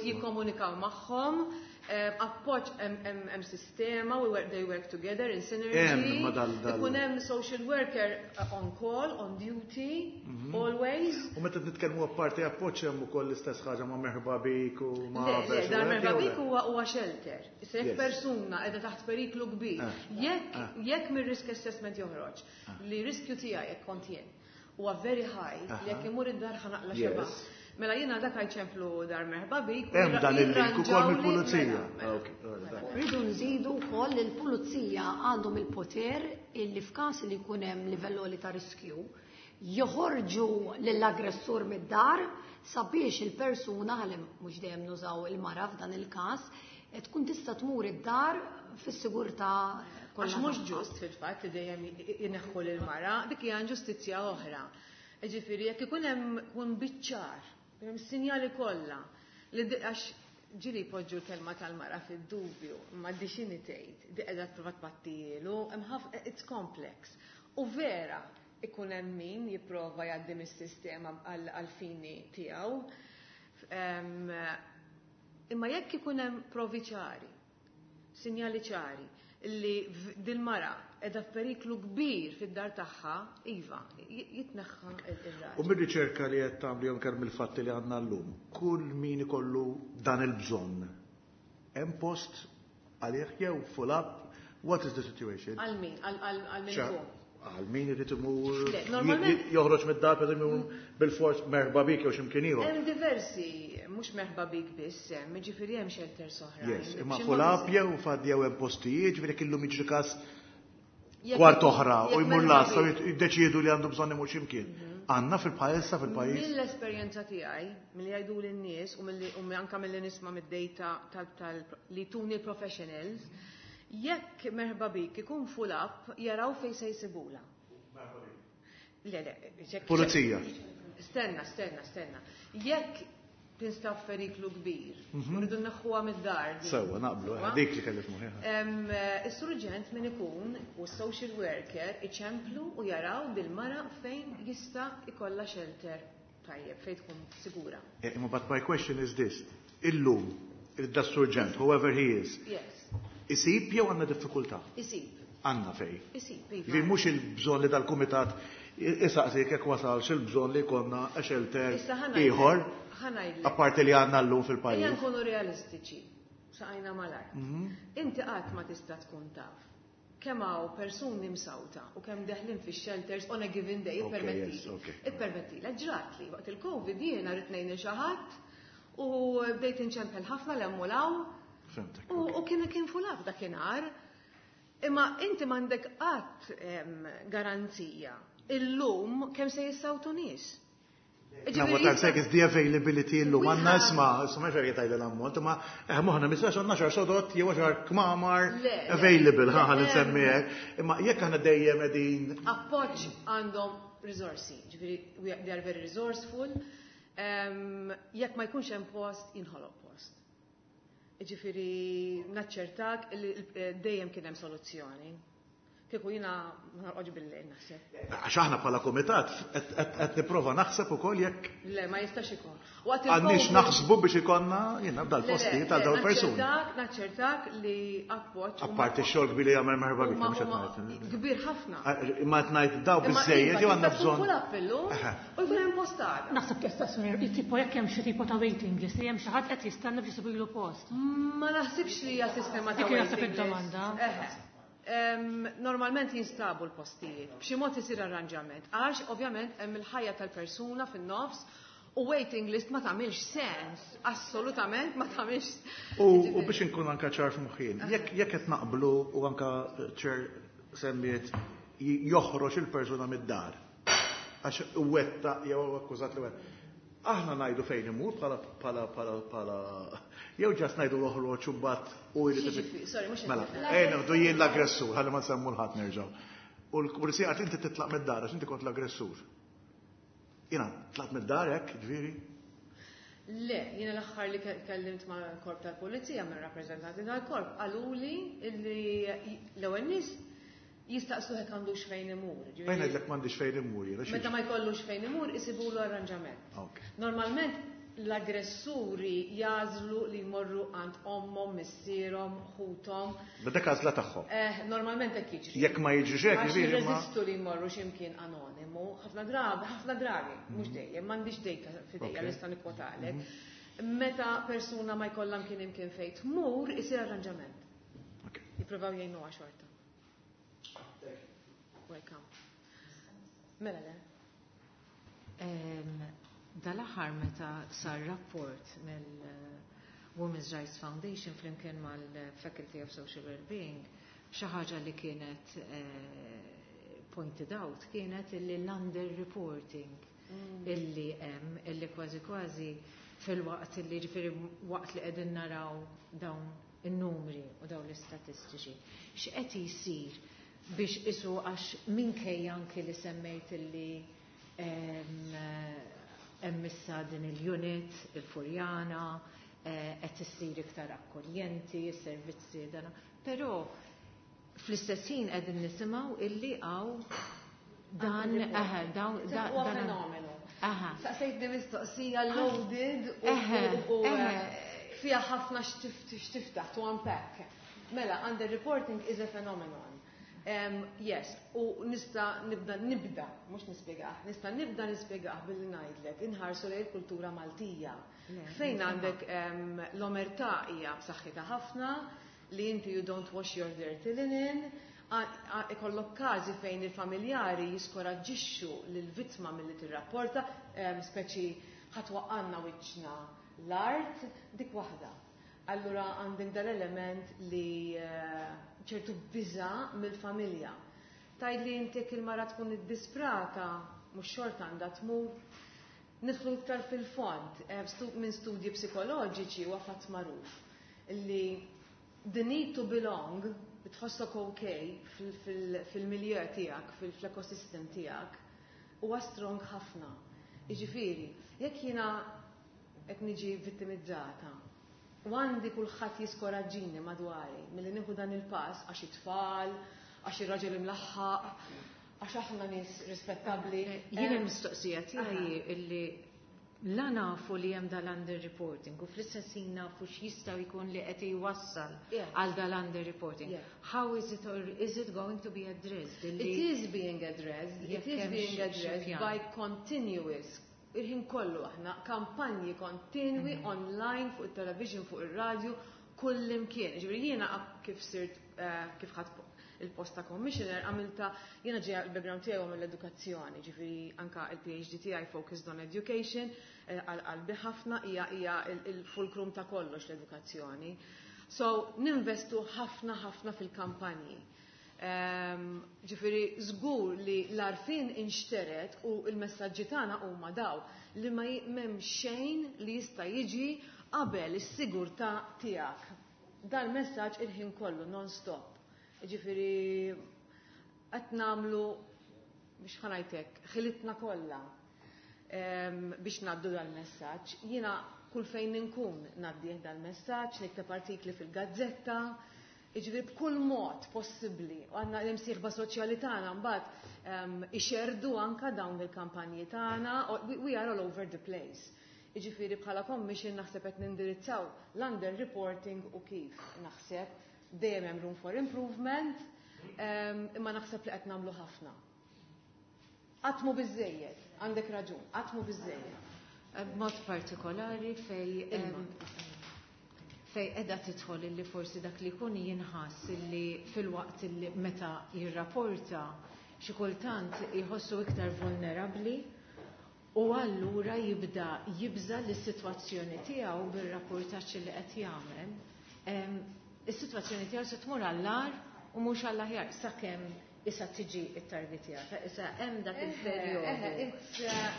jikkomunikaw magħhom, Appoġġ hemm sistema, they work together in synergy. Ikun hemm social worker on call, on duty, always. U meta nitkellmu apparti Appoġġ, hemm ukoll l-istess ħaġa ma' Merħba Bik u ma' Le, dan Merħba Bik huwa shelter. Issa jekk persuna qiegħda taħt periklu kbir, jekk mir-risk assessment joħroġ li riskju tiegħi jekk kont jien huwa very high, li jekk imur id-dar ħa naqla' xebgħa. Mela jiena dak ċemplu Dar Merħba Bik. Hemm dan il-link ukoll mill-pulizija. Rridu nżidu wkoll li l-pulizija għandhom il-poter illi f'każ li jkun hemm livell għoli ta' riskju joħorġu lill-aggressur mid-dar sabiex il-persuna, ħalli mhux dejjem nużaw il-mara f'dan il-każ, tkun tista' tmur id-dar fis-sigurtà. Għax mhux ġust fil-fatt li dejjem jneħħu lil-mara, dik hija inġustizzja oħra. Ġifieri jekk ikun hemm kun biċ-ċar, hemm sinjali kollha li għax ġieli jpoġġu l-kelma tal-mara fid-dubju, ma di x'inhi tgħid, di qiegħda tipprova tpattilu, hemm ħafna, it's complex. U vera ikun hemm min jipprova jgħaddi mis-sistema għal-fini tiegħu. Imma jekk ikun hemm provi ċari, sinjali ċari, li dil-mara qiegħda f'periklu kbir fid-dar tagħha, iva, jitneħħa il-raġel. U mir-riċerka li qed tagħmlu jew kemm il-fatti li għandna llum, kull min ikollu dan il-bżonn, hemm post għalih jew full up, what is the situation? Għal min? Għal min hu? Għal min irid imur Le, normalment joħroġ mid-dar per imur bil-fors Merħba Bik jew x'imkien ieħor. Hemm diversi, mhux Merħba Bik biss hemm, jiġifieri hemm shelters oħra. Yes, imma full up jew faddi jew hemm postijiet, ġifieri illum jiġri każ kwart oħra u jmur l-għassa u jiddeċiedu li għandu bżonn imur x'imkien. Għandna fil-pajjiż fil-pajjiż. Mill-esperjenza tiegħi, milli jgħidu lin-nies u milli u anke milli nisma' mid-data tal li tuni professionals, jekk Merħba Bik ikun full up, jaraw fejn se jsibula. Le, le, Pulizija. Stenna, stenna, stenna. Jekk tinstab periklu kbir, rridu nneħħuha mid-dar. Sewwa, naqblu, dik li kelli f'moħħi. Is-surġent min ikun u s-social worker iċemplu u jaraw bil-mara fejn jista' ikollha shelter tajjeb, fejn tkun sigura. Imma but my question is this. Illum, il-da surġent, whoever he is, isib jew għandna diffikultà? Isib. Għandna fej. Isib, iva. Li mhux il-bżonn li dal-kumitat isaqsi jekk wasalx il-bżonn li jkollna shelter Issa ħa ngħidlek. ieħor, Ħa ngħidlek. apparti li għandna llum fil-pajjiż. Ejja nkunu realistiċi, saqajna mal-art. Inti qatt ma tista' tkun taf kemm hawn persuni msawta u kemm deħlin fix-shelters on a given day, ippermetti. Ippermetti. Ġrat li waqt il-Covid jiena rrid ngħin lil xi ħadd u bdejt inċempel ħafna 'l hemm u 'l hawn. Fhimtek. U kien full up dakinhar. Imma inti m'għandek qatt garanzija illum kemm se jissawtu nies. Now, what I'm saying is the availability illum. Għandna isma', isma' xejn jgħid l-ammont, imma moħħna mistax għandna xar sodot jew xar kmamar Le, le. available, ħa Le, nsemmi hekk. Imma jekk aħna dejjem qegħdin Appoġġ għandhom risorsi, ġifieri they are very resourceful. Jekk ma jkunx hemm post, jinħoloq post. Ġifieri naċċertak li dejjem kien hemm soluzzjoni. Kieku jiena ma norqodx bil-lejl naħseb. Għax aħna bħala komitat qed nipprova naħseb ukoll jekk Le, ma jistax ikun. Għandniex naħsbu biex ikollna jiena dal-postijiet għal dawn persuni. Naċċertak li appoġġ. Apparti x-xogħol kbir li jagħmel merħba bik, mhux qed ngħid. Kbir ħafna. Imma qed ngħid daw biżejjed jew għandna bżonn. Kull appellu u jkun hemm postada. Naħseb tista' tipo jekk hemm xi tipo ta' waiting list li hemm xi ħadd qed jistenna biex isibilu post. Ma naħsibx li hija sistema ta' waiting list. Dik Normalment jinstabu l-postijiet, b'xi mod isir arranġament, għax ovvjament hemm il-ħajja tal-persuna fin-nofs u waiting list ma tagħmilx sens, assolutament ma tagħmilx. U biex inkun anka ċar f'moħħin, jekk qed naqblu u anka ċer semmiet joħroġ il-persuna mid-dar għax wetta jew akkużat li wetta. Aħna ngħidu fejn imur bħala jew ġas ngħidu oħroġ u mbagħad u jrid Sorry, mhux Mela, ejja nieħdu jien l-aggressur, ħalli ma nsemmu l-ħadd nerġgħu. U l-pulizija qalt inti titlaq mid-dar għax inti kont l-aggressur. Jiena tlaqt mid-dar hekk, ġifieri? Le, jiena l-aħħar li kellimt mal-korp tal-pulizija, minn rappreżentanti tal-korp, qaluli li l-ewwel nies jistaqsu hekk għandux fejn imur. Fejn ngħidlek m'għandix fejn imur jiena. Meta ma jkollux fejn imur isibulu arranġament. Normalment l-aggressuri jagħżlu li jmorru għand ommhom, missierhom, ħuthom. Dak għażla tagħhom. Normalment hekk jiġri. Jekk ma jiġrix hekk, jiġifieri jirreżistu li jmorru x'imkien anonimu, ħafna drabi, ħafna drabi, mhux dejjem, m'għandix data f'idejja li nista' nikkwotalek. Meta persuna ma jkollha mkien imkien fejn tmur, isir arranġament. Jippruvaw jgħinuha xorta. Welcome. Mela le. Dal-aħħar meta sar rapport mill-Women's Rights Foundation flimkien mal-Faculty of Social Wellbeing, xi ħaġa li kienet pointed out kienet illi l-under-reporting illi hemm, illi kważi kważi fil-waqt illi ġifieri waqt li qegħdin naraw dawn in-numri u dawn l-istatistiċi. X'qed jsir biex isu għax minkejja anki li semmejt illi hemm issa din il-unit, il-Furjana, qed issir iktar akkoljenti, is-servizzi dana. Però fl-istess ħin qegħdin nisimgħu illi hawn dan dawn huwa fenomenu. Saqsejtni mistoqsija loaded u fiha ħafna x'tiftaħ to unpack. Mela, under-reporting is a phenomenon. Yes, u nista nibda nibda, mhux nispjegah, nista nibda nispjegah billi ngħidlek inħarsu lejn il-kultura Maltija. Fejn għandek l-omertà hija b'saħħitha ħafna, li inti you don't wash your dirty linen, ikollok każi fejn il-familjari jiskoraġġixxu lill-vittma milli tirrapporta, speċi ħatwaqqanna wiċċna l-art, dik waħda. Allura għandek dal-element li ċertu biża' mill-familja. Tgħid li inti jekk il-mara tkun iddisprata, mhux xorta għandha tmur. Nidħlu iktar fil-fond, minn studji psikoloġiċi huwa fatt magħruf li the need to belong, li tħossok okay fil-milieu tiegħek, fl-ekosystem tiegħek, huwa strong ħafna. Jiġifieri, jekk jiena qed niġi vittimizzata, u għandi kulħadd jiskoraġġini madwari milli nieħu dan il-pass għax it-tfal, għax ir-raġel imlaħħaq, għax aħna nies rispettabbli. Jiena l-mistoqsija tiegħi illi la nafu li hemm dal-under-reporting u fl-istess ħin nafu x'jistgħu jkun li qed jwassal għal dal-under-reporting. How is it or is it going to be addressed? It is being addressed. It is being addressed by continuous il-ħin kollu aħna kampanji kontinwi online fuq il-television, fuq il-radio, kull imkien. Ġifieri jiena kif sirt kif ħadt il-post ta' commissioner għamilta jiena ġejja il-background tiegħi mill-edukazzjoni, ġifieri anka il-PhD tiegħi focused on education, għal qalbi ħafna hija il-fulcrum ta' kollox l-edukazzjoni. So ninvestu ħafna ħafna fil-kampanji. Ġifieri żgur li l-għarfien inxteret u l-messaġġi tagħna huma daw li ma m'hemm xejn li jista' jiġi qabel is-sigurtà tiegħek. Dal-messaġġ il-ħin kollu non-stop. Ġifieri qed nagħmlu biex ħanajtek, ħilitna kollha biex ngħaddu dal-messaġġ. Jiena kull fejn inkun ngħaddih dal-messaġġ, nikteb artikli fil-gazzetta. Jiġifieri b'kull mod possibbli, u għandna l-imsieħba soċjali tagħna mbagħad ixerrdu anka dawn il-kampanji tagħna, we are all over the place. Jiġifieri bħala commission naħseb qed nindirizzaw l-under reporting u kif naħseb dejjem hemm room for improvement, imma naħseb li qed nagħmlu ħafna. Qatt mhu biżejjed, għandek raġun, qatt mhu biżejjed. B'mod partikolari fej edha tidħol illi forsi dak li jkun jinħass illi fil-waqt illi meta jirrapporta xi kultant jħossu iktar vulnerabbli u allura jibda jibża li s-sitwazzjoni tiegħu bir-rapportaġġ li qed jagħmel, is-sitwazzjoni tiegħu se tmur għall-agħar u mhux għall-aħjar sakemm issa tiġi it-targetjata, issa hemm dak il-perjodu.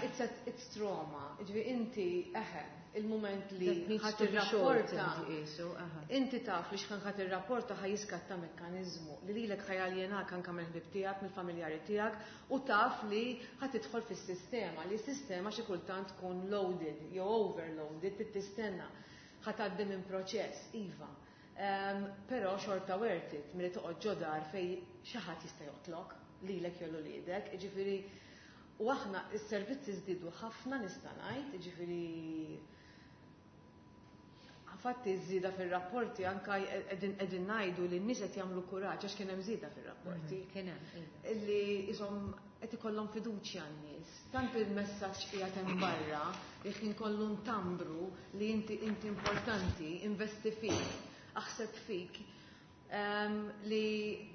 It's trauma. Ġifieri inti, eħe, il-moment li ħa tirrapporta, inti taf li x'ħin ħa tirrapporta ħa jiskatta mekkanizmu li lilek ħa jaljenak anke mill-ħbieb tiegħek, mill-familjari tiegħek, u taf li ħa tidħol fis-sistema, li s-sistema xi kultant tkun loaded jew overloaded, trid tistenna, ħa tgħaddi minn proċess, iva. Però xorta worth it milli toqgħod ġo dar fej xi ħadd jista' joqtlok lilek jew uliedek, jiġifieri u aħna s-servizzi żdiedu ħafna, nista' ngħid, jiġifieri infatti żieda fir-rapporti anka qegħdin ngħidu li n-nies qed jagħmlu kuraġġ għax kien hemm żieda fir-rapporti. Kien hemm, iva. Illi ishom qed ikollhom fiduċja n-nies. Tant il-messaġġ qiegħed hemm barra li kien kollu ntambru li inti importanti, investi fik, aħseb fik, li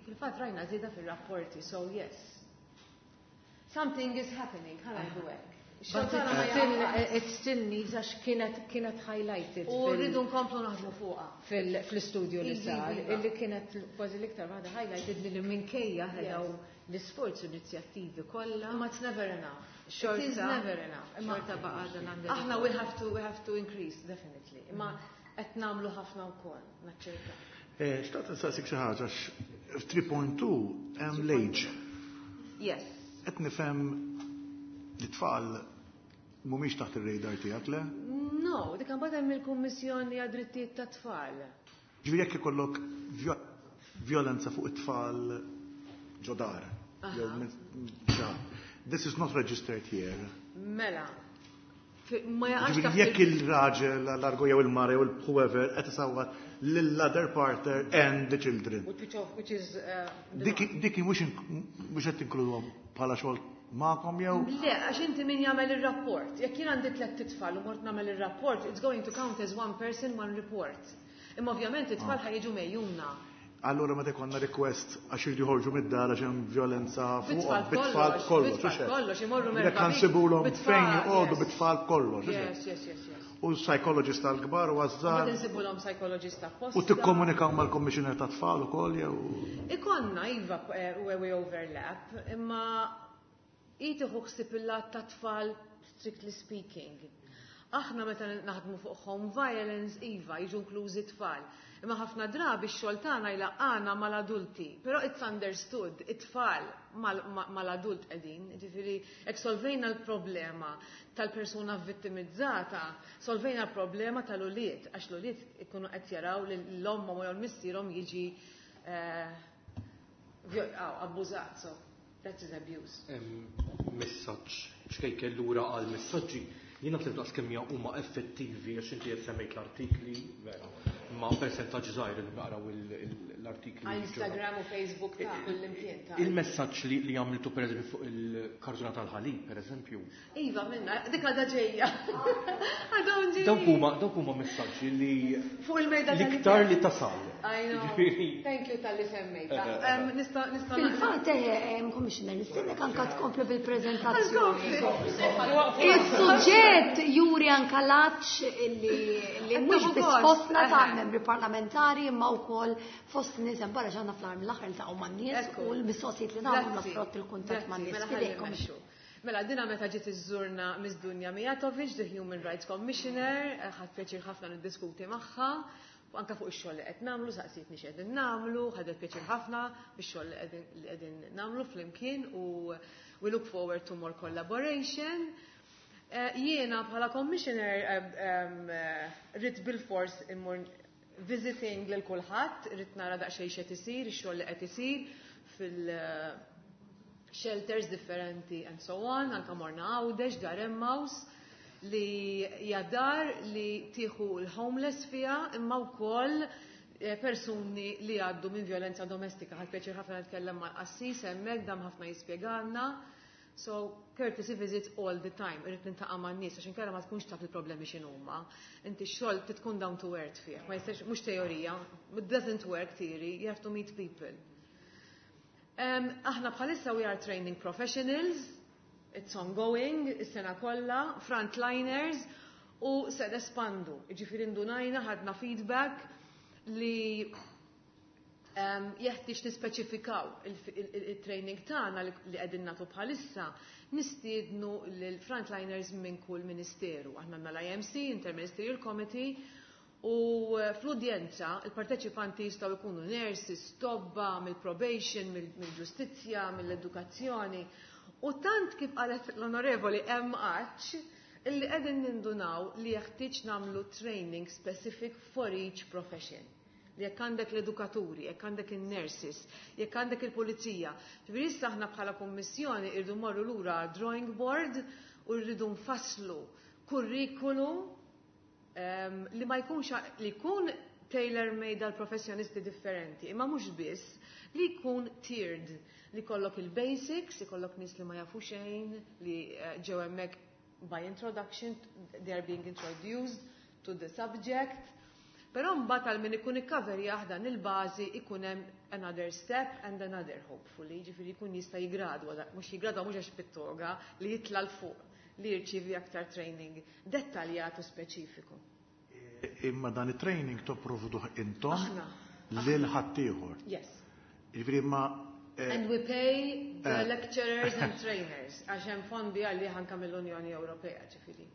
fil-fatt rajna żieda fir-rapporti, so yes. Something is happening, ħa ngħidu hekk. But it still needs, għax kienet highlighted. U rridu nkomplu naħdmu fuqha. Fl-istudju li sar, illi kienet kważi l-iktar waħda highlighted li minkejja ħedaw l-isforzi, l-inizjattivi kollha. Ma it's never enough. It is never enough. Xorta baqa' dan għandek. Aħna we have to increase, definitely. Imma qed nagħmlu ħafna wkoll, naċċerta. Xtaqt nsaqsik xi ħaġa, f'3.2 hemm l-age. Yes. Qed nifhem li tfal mhumiex taħt ir-radar tiegħek, le? No, dik imbagħad hemm il-Kummissjoni għad-Drittijiet tat-Tfal. Ġifieri jekk ikollok violenza fuq it-tfal ġo dar, jew this is not registered here. Mela. Ma jaqax Ġifieri taħt jekk il-raġel, l-argo jew il-mara jew il-whoever qed isawwat lill-other partner and the children. Which is the Dik mhux qed tinkluduhom bħala xogħol magħkom jew? Le, għax inti min jagħmel ir-rapport. Jekk jien għandi tliet titfal u mort nagħmel ir-rapport, it's going to count as one person, one report. Imma ovvjament it-tfal ħa jiġu megħjuna. Allura meta jkollna request għax iridu joħorġu mid-dar għax hemm violenza fuqhom, Bit-tfal bit-tfal kollox, kollox, bit-tfal hux hekk? kollox, imorru Jekk merħba bik, ħansibulhom bit-tfal, fejn joqogħdu yes. bit-tfal kollox, hux hekk? Yes. U psychologist tal-kbar u għaż-żgħar. Mbagħad insibulhom psychologist apposta. U tikkomunikaw mal-commissioner tat-tfal ukoll jew? Ikollna iva, where we overlap, imma tieħu ħsieb il-lat tat-tfal strictly speaking. Aħna meta naħdmu fuq home violence, iva, jiġu inklużi tfal. Imma ħafna drabi x-xogħol tagħna jlaqqana mal-adulti, però it's understood, it-tfal mal-adult qegħdin. Ġifieri jekk solvejna l-problema tal-persuna vittimizzata, solvejna l-problema tal-ulied, għax l-ulied ikunu qed jaraw li l-omm jew l-missierhom jiġi abbużat, so that is abuse. Messaġġ, xkejkel lura għal messaġġi, jiena tlimt daqs kemm huma effettivi għax inti qed semmejt l-artikli, vera, ma percentaġġ żgħir li naqraw l-artikli. Għal Instagram u Facebook ta' kull imkien ta' Il-messaġġ li għamiltu per eżempju fuq il-kartuna tal-ħalib, per eżempju. Iva, minna, dik għadha ġejja. Għadhom ġejja. Dawk huma messaġġi li Fuq il-mejda l-iktar tal-ikel. li tasal. I know. Ġifieri. Thank you tal-li semmejta. Nista' Fil-fatt, Commissioner, nistennek anka tkomplu bil-prezentazzjoni. Għal-kompli. Il-suġġett juri anka laċ li mhux biss gost, fostna ta' membri parlamentari imma wkoll fost nies hemm barra ġanna fl-arm l-aħħar iltaqgħu man-nies u l-mistoqsijiet li nagħmlu frott il-kuntatt man-nies. Mela ħalli Fidejkom. mmexxu. Mela, dina meta ġiet iżżurna Miss Dunja Mijatovic, the Human Rights Commissioner, ħadt pjaċir ħafna niddiskuti magħha, u anka fuq ix-xogħol li qed nagħmlu, saqsietni x'qegħdin nagħmlu, ħadet pjaċir ħafna bix-xogħol li qegħdin nagħmlu flimkien u we look forward to more collaboration. Jiena bħala commissioner ridt bil-fors immur visiting lil kulħadd, irrid nara daqsxejn x'qed isir, ix-xogħol li qed isir fil-shelters differenti and so on, anka morna Għawdex, Dar Emmaus, li hija dar li tieħu l-homeless fiha imma wkoll persuni li għaddu minn violenza domestika. Ħadt pjaċir ħafna nitkellem mal-qassis hemmhekk, dam ħafna jispjegalna. So, courtesy visits all the time, irrid niltaqa' man-nies għax inkella ma tkunx taf il-problemi x'inhuma. Inti x-xogħol tkun down to earth fih, ma jistax mhux teorija, it doesn't work theory, you have to meet people. Aħna bħalissa we are training professionals, it's ongoing, is-sena kollha, frontliners, u se nespandu. Ġifieri ndunajna, ħadna feedback li jeħtieġ nispeċifikaw il-training tagħna li qegħdin nagħtu bħalissa, nistiednu lill-frontliners minn kull ministeru. Aħna għandna l-IMC, Interministerial Committee, u fl-udjenza il-parteċipanti jistgħu jkunu nurses, tobba, mill-probation, mill-ġustizzja, mill-edukazzjoni. U tant kif qalet l-onorevoli hemm għatx illi qegħdin nindunaw li jeħtieġ nagħmlu training specific for each profession. Li jekk għandek l-edukaturi, jekk għandek il-nurses, jekk għandek il-pulizija. Ġifieri issa aħna bħala kummissjoni irridu morru lura drawing board u rridu nfasslu kurrikulu li ma jkunx li jkun tailor-made għal professjonisti differenti, imma mhux biss li jkun tiered, li jkollok il-basics, ikollok nies li ma jafu xejn, li ġew hemmhekk by introduction, they are being introduced to the subject. Però mbagħad għal min ikun ikkaverjah dan il-bażi ikun hemm another step and another hopefully, ġifieri jkun jista' jigradwa, mhux jigradwa mhux għax bit-toga, li jitla' 'l fuq, li jirċievi aktar training dettaljat u speċifiku. Imma dan it-training topprovduh intom Aħna. lil ħaddieħor. Yes. Ġifieri ma And we pay the lecturers and trainers, għax hemm fondi għalli anka mill-Unjoni Ewropea, ġifieri.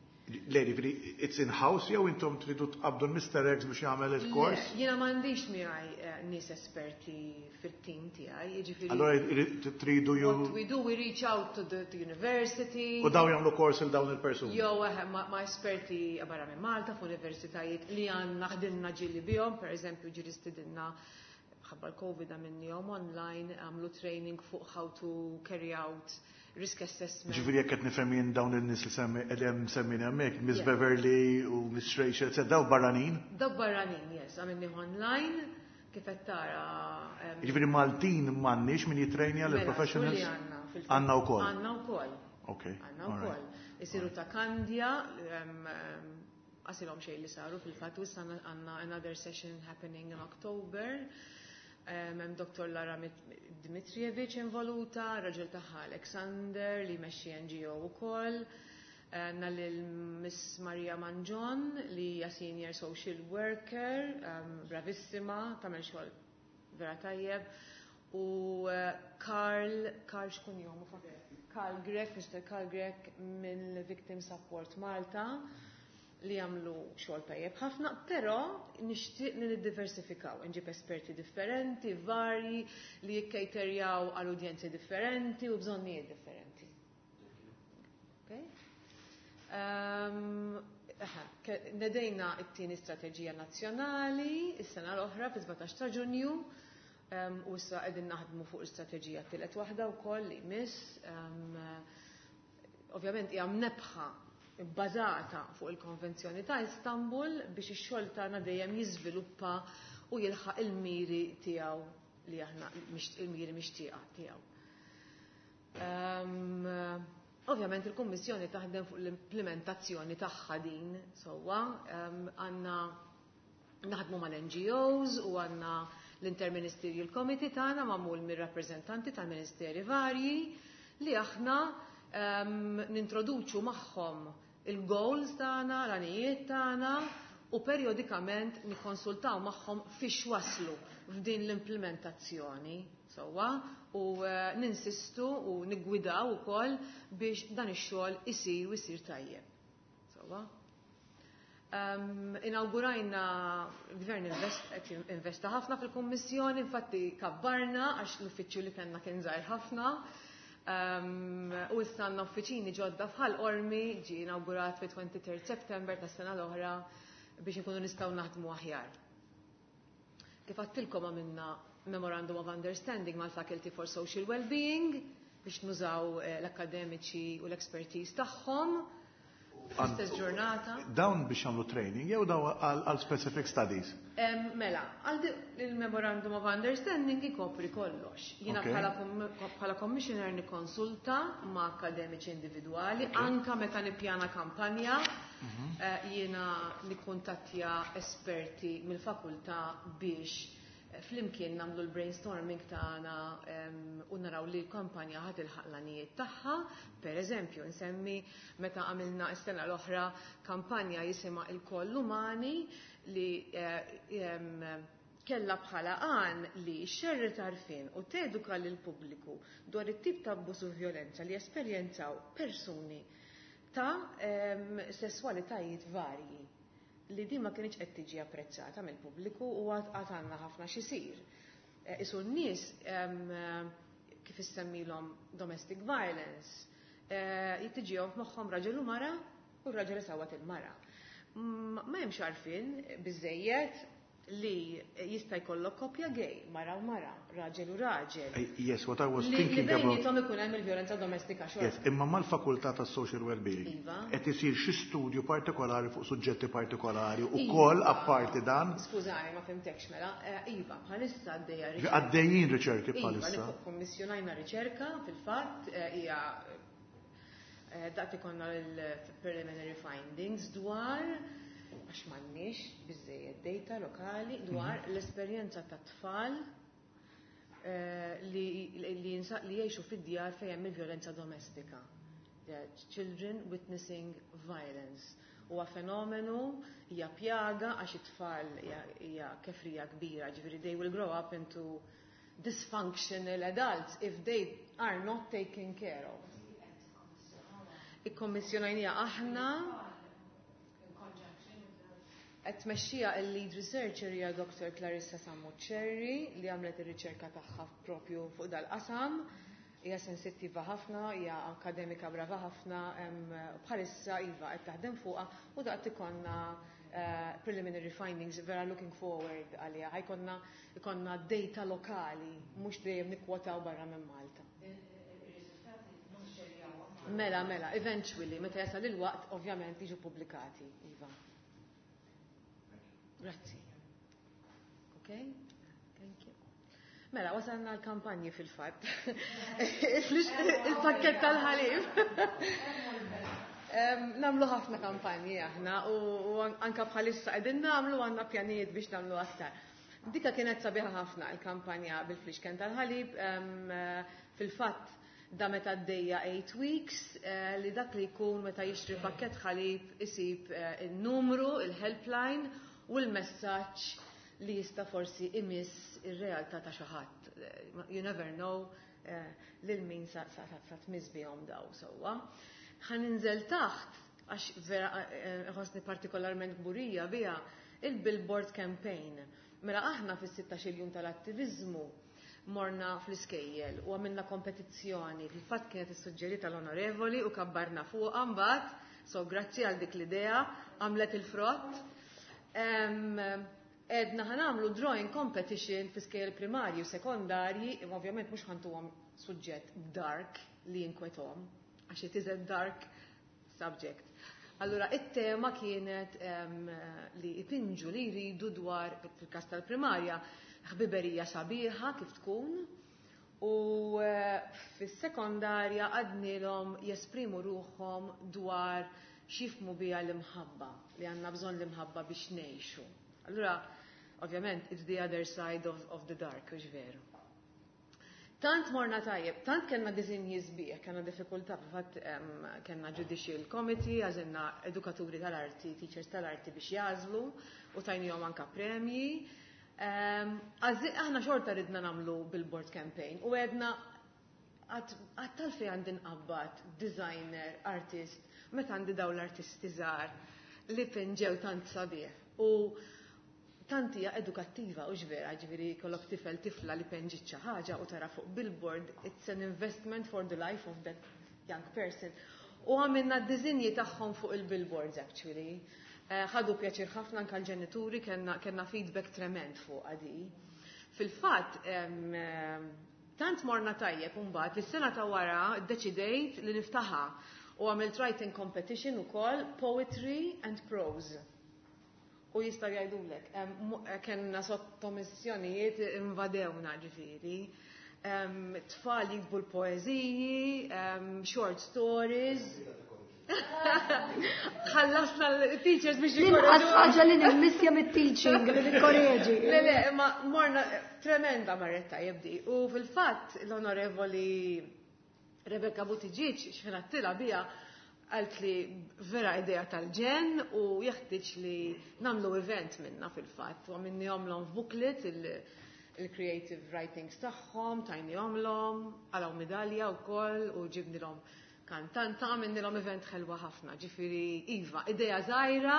Le, ġifieri, it's in-house jew intom tridu tqabdu l-Mr. X biex jagħmel il-kors? Le, jiena m'għandix miegħi nies esperti fit-team tiegħi, jiġifieri. Allora tridu ju What we do, we reach out to the university. U daw jagħmlu kors il dawn il-persuni. Jew ma' esperti barra minn Malta f'universitajiet li għandna ħdimna ġieli bihom, per eżempju ġieli stidinna ħabba l-Covid għamilnihom online, għamlu training fuq how to carry out risk assessment. Ġifieri jekk qed nifhem jien dawn in-nies li semmi qegħdem semmin hemmhekk, Miss Yeah. Beverly u Miss Rachel, et daw barranin? Daw barranin, yes, għamilni online, kif qed tara. Ġifieri Maltin m'għandniex min jitrejnja Mela, lill-professionals? kulli għandna fil-fatt. Għandna wkoll. Għandna wkoll. Okay. Għandna all wkoll. right. Isiru ta' Kandja, għasilhom xejn li saru fil-fatt, u issa għandna another session happening in October. Hemm Dr. Lara Dmitrievich involuta, raġel tagħha Alexander li jmexxi NGO wkoll. Għandna lil Miss Maria Manġon li hija senior social worker, bravissima, tagħmel xogħol vera tajjeb. U Karl, Karl xkun jomu Karl Grech, Mr. Karl Grech mill Victim Support Malta li jagħmlu xogħol tajjeb ħafna, però nixtieq li niddiversifikaw, nġib esperti differenti, varji, li jikkejterjaw għal udjenzi differenti u bżonnijiet differenti. Okay? Nedejna it-tieni strateġija nazzjonali is-sena l-oħra fi 17 ta' Ġunju, u issa qegħdin naħdmu fuq l-istrateġija t-tielet waħda wkoll li jmiss. Ovvjament hija mnebbħa bbażata fuq il-Konvenzjoni ta' Istanbul biex ix-xogħol tagħna dejjem jiżviluppa u jilħaq il-miri tiegħu li aħna il-miri mixtieqa tiegħu. Ovvjament il-Kummissjoni taħdem fuq l-implementazzjoni tagħha din sewwa, għandna naħdmu mal-NGOs u għandna l-Interministerial Committee tagħna magħmul mir-rappreżentanti tal-ministeri varji li aħna nintroduċu magħhom il-goals tagħna, l-għanijiet tagħna u periodikament nikkonsultaw magħhom fiex waslu f'din l-implementazzjoni sewwa u ninsistu u niggwidaw ukoll biex dan ix-xogħol isir u isir tajjeb. Sewwa. Inaugurajna, il-Gvern qed investa ħafna fil-Kummissjoni, infatti kabbarna għax l-uffiċċju li kellna kien żgħir ħafna. U issa għandna uffiċini ġodda f'Ħal Qormi, ġie inaugurat fi 23 September tas-sena l-oħra biex inkunu nistgħu naħdmu aħjar. Kif għedtilkom, għamilna Memorandum of Understanding mal-Faculty for Social Wellbeing biex nużaw l-akademiċi u l-expertise tagħhom fl-istess ġurnata. Dawn biex jagħmlu training jew dawn għal specific studies? Mela, għal il-Memorandum of Understanding ikopri kollox. Jiena bħala commissioner nikkonsulta ma' akademiċi individwali, anka meta nippjana kampanja, jiena nikkuntattja esperti mill-fakultà biex flimkien nagħmlu l-brainstorming tagħna u naraw li l-kampanja ħa tilħaq l-għanijiet tagħha. Per eżempju, nsemmi meta għamilna s-sena l-oħra kampanja jisimha "Ilkoll Umani" li kella bħala għan li xerred għarfien u teduka lil pubbliku dwar it-tip ta' abbuż u violenza li esperjenzaw persuni ta' sessualitajiet varji, li din ma kienx qed tiġi apprezzata mill-pubbliku u għad għandna ħafna xisir. Isu n-nies kif issemmilhom domestic violence, jittiġihom f'moħħhom raġel u mara u raġel isawwat il-mara. Ma hemmx għarfien biżejjed li jista' jkollok koppja gay, mara u mara, raġel u raġel. Yes, what I was thinking about. Li bejniethom ikun hemm il-vjolenza domestika xorta. Yes, imma mal-fakultà tas social well-being. Qed isir xi studju partikolari fuq suġġetti partikolari ukoll apparti dan? Skużani, ma fhimtekx mela. Iva, bħalissa għaddejja riċerka. Għaddejjin riċerki bħalissa. Iva, kommissjonajna riċerka fil-fatt, hija daqt ikollna l-preliminary findings dwar, għax m'għandniex biżejjed data lokali dwar l-esperjenza ta' tfal li jgħixu fid-djar fejn hemm il-vjolenza domestika. Children witnessing violence. Huwa fenomenu, hija pjaga għax it-tfal hija kefrija kbira, ġifieri they will grow up into dysfunctional adults if they are not taken care of. Ikkommissjonajnieha aħna, qed tmexxija il-lead researcher hija Dr. Clarissa Sammuccerri, li għamlet ir-riċerka tagħha propju fuq dal-qasam. Hija sensittiva ħafna, hija akademika brava ħafna, bħalissa iva qed taħdem fuqha u daqt ikollna preliminary findings, vera looking forward għaliha. Ħa jkollna ikonna data lokali, mhux dejjem nikkwotaw barra minn Malta. Mela, eventually, meta jasal il-waqt, ovvjament jiġu pubblikati, iva. Grazzi. Ok? Thank you. Mela, wasalna l-kampanji fil-fatt. Il-pakket tal-ħalib. Nagħmlu ħafna kampanji aħna u anka bħalissa qegħdin nagħmlu, għandna pjanijiet biex nagħmlu aktar. Dika kienet sabiħa ħafna, il-kampanja bil-flixken tal-ħalib. Fil-fatt da meta għaddejja 8 weeks li dak li jkun meta jixtri pakket ħalib isib il-numru, il-helpline u l-messaġġ li jista' forsi imiss ir-realtà ta' xi ħadd. You never know lil min sa tmiss bihom daw sewwa. Ħa ninżel taħt għax vera ħossni partikolarment kburija biha, il-billboard campaign. Mela aħna fis-16 jum tal-attivizmu morna fl-iskejjel u għamilna kompetizzjoni. Fil-fatt kienet issuġġerita l-onorevoli u kabbarna fuq mbagħad, so grazzi għal dik l-idea, għamlet il-frott. Għedna ħa nagħmlu drawing competition fi skejjel primarji u sekondarji, imma ovvjament mhux ħa ntuhom suġġett dark li jinkwetahom, għax it is a dark subject. Allura, it-tema kienet li ipinġu li jridu dwar, fil-kas tal-primarja, ħbiberija sabiħa kif tkun, u fis-sekondarja għednielhom jesprimu ruħhom dwar x'jifhmu biha l-imħabba, li għandna bżonn l-imħabba biex ngħixu. Allura, ovvjament, it's the other side of the dark, hux veru? Tant morna tajjeb, tant kellna disinji sbieħ, kellna diffikultà, fil-fatt kellna judicial committee, għażilna edukaturi tal-arti, teachers tal-arti biex jagħżlu u tajnihom anka premji. Aħna xorta ridna nagħmlu billboard campaign u għedna għad tal-fej għandi nqabbad designer, artist, meta għandi daw l-artisti żgħar li pinġew tant sabiħ. U tant hija edukattiva u vera, ġifieri kollok tifel, tifla li penġit xi ħaġa u tara fuq billboard, it's an investment for the life of that young person. U għamilna d-dizinji tagħhom fuq il-billboards actually. Ħadu pjaċir ħafna anke l-ġenituri, kellna feedback tremend fuq għadi. Fil-fatt, tant morna tajjeb imbagħad li s-sena ta' wara ddeċidejt li niftaħha u għamilt writing competition ukoll, poetry and prose. U jistgħu jgħidulek, kellna sottomissjonijiet invadewna ġifieri. Tfal jiktbu l-poeżiji, short stories. Ħallasna l-teachers biex L-inqas ħaġa li nimmissja mit-teaching li nikkoreġi. Le, le, ma morna tremenda marret tajjeb di. U fil-fatt l-onorevoli Rebecca Buttigieg xħin għedtilha biha għalt li vera idea tal-ġenn u jeħtieġ li nagħmlu event minna fil-fatt. U għamilnihomlhom f'booklet il-creative writings tagħhom, tajnihomlhom, qalgħu medalja wkoll u ġibnilhom kantanta, għamilnilhom event ħelwa ħafna. Ġifieri iva, idea żgħira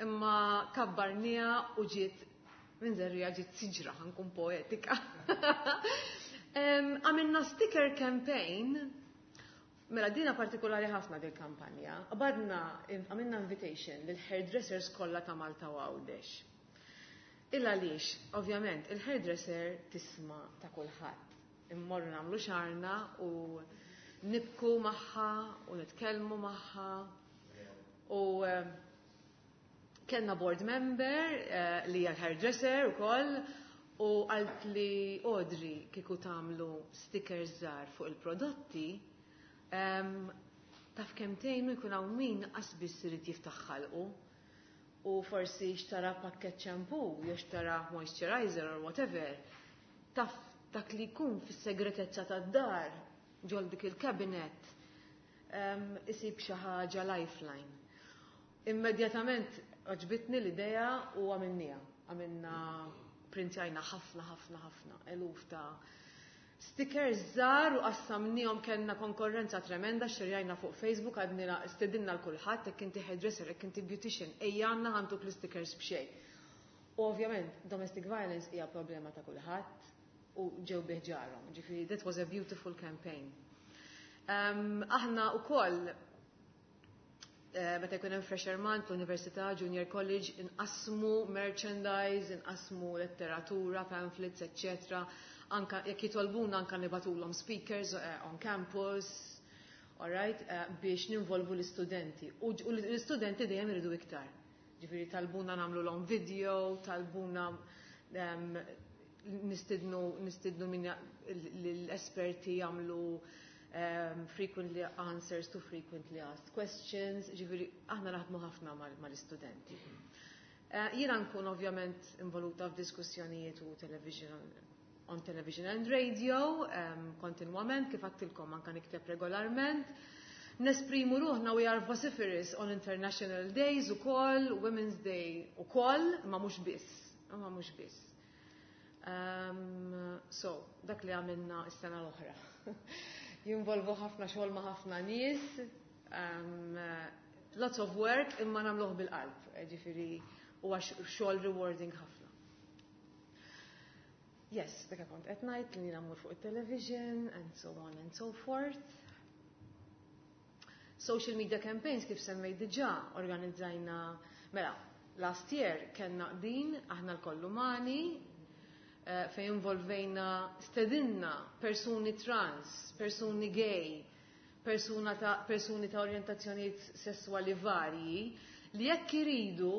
imma kabbarniha u ġiet minn żerriegħa ġiet siġra, ħa nkun poetika. Għamilna sticker campaign. Mela dina partikolari ħafna dil kampanja. Qabadna, għamilna invitation lil hairdressers kollha ta' Malta u Għawdex. Illa għaliex, ovvjament, il-hairdresser tisma' ta' kulħadd. Immorru nagħmlu xagħarna u nibku magħha u nitkellmu magħha. U kellna board member li hija hairdresser ukoll u għalt li Audrey kieku tagħmlu stickers żgħar fuq il-prodotti taf kemm tgħinu jkun hawn min qas biss irid jiftaħ ħalqu u forsi xtara pakket shampoo, jew xtara moisturizer or whatever. Taf dak li jkun fis-segretezza tad-dar ġol dik il-cabinet isib xi ħaġa lifeline. Immedjatament għoġbitni l-idea u għamilniha. Għamilna printjajna ħafna, ħafna, ħafna, eluf ta' stickers żgħar u qassamnihom, kellna konkurrenza tremenda, xerjajna fuq Facebook, għadnila stedinna l-kulħadd, jekk inti hairdresser, jekk inti beautician, ejja għandna ħa ntuk l-stickers b'xejn. U ovvjament, domestic violence hija problema ta' kulħadd u ġew bi ħġarhom. Ġifieri, that was a beautiful campaign. Aħna wkoll meta jkun hemm Fresher Month, l-Università, Junior College, inqasmu merchandise, inqasmu letteratura, pamphlets, etc. Anka jekk jitolbuna anka nibagħtulhom speakers on campus, alright, biex ninvolvu l-istudenti. U l-istudenti dejjem iridu iktar. Ġifieri talbuna nagħmluhom video, talbuna nistidnu min l-esperti jagħmlu frequently answers to frequently asked questions, ġifieri aħna naħdmu ħafna mal-istudenti. Jiena nkun ovvjament involuta f'diskussjonijiet u television on television and radio kontinwament, kif għedtilkom anka nikteb regolarment. Nesprimu ruħna, we are vociferous on international days u koll, Women's Day u koll, ma mhux biss, ma mhux biss. So, dak li għamilna s-sena l-oħra. Jinvolvu ħafna xogħol ma' ħafna nies, lots of work imma nagħmluh bil-qalb, ġifieri huwa xogħol rewarding ħafna. Yes, dak kont qed ngħid li nagħmlu fuq it-television and so on and so forth. Social media campaigns kif semmejt diġà organizzajna, mela, last year kellna din Aħna Lkoll Umani, fejn involvejna, stedinna persuni trans, persuni gay, persuni ta' orientazzjonijiet sessuali varji li jekk iridu,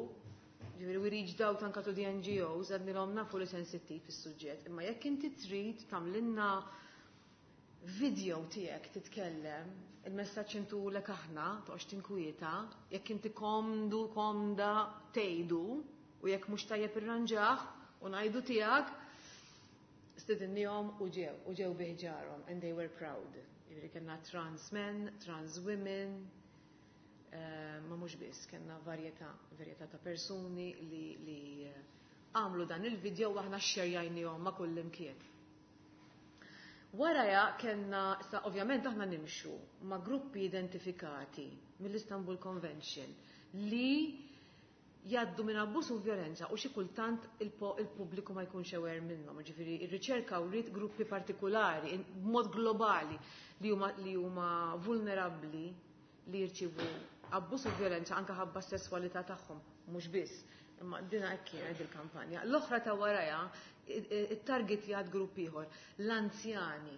ġifieri we reached out anka to the NGOs, għednilhom nafu li sensittiv is-suġġett, imma jekk inti trid tagħmlilna video tiegħek titkellem, il-messaġġ intulek aħna, toqgħodx tinkwieta, jekk inti komdu, komda tgħidu, u jekk mhux tajjeb irranġah u ngħidu tiegħek, stedinnihom u ġew bi ħġarhom, and they were proud. Ġifieri kellna trans men, trans women, ma mhux biss, kellna varjetà ta' persuni li għamlu dan il-video u aħna xerjajnihom ma' kull imkien. Waraja kellna, sa ovvjament aħna nimxu ma' gruppi identifikati mill-Istanbul Convention li jgħaddu minn abbuż u violenza u xi kultant il-pubbliku ma jkunx aware minnhom. Ġifieri ir-riċerka wriet gruppi partikolari b'mod globali li huma vulnerabbli li jirċivu abbuż u violenza anke ħabba s-sesswalità tagħhom. Mhux biss, imma dina hekk kienet il-kampanja. L-oħra ta' warajha it-target jgħad grupp ieħor, l-anzjani.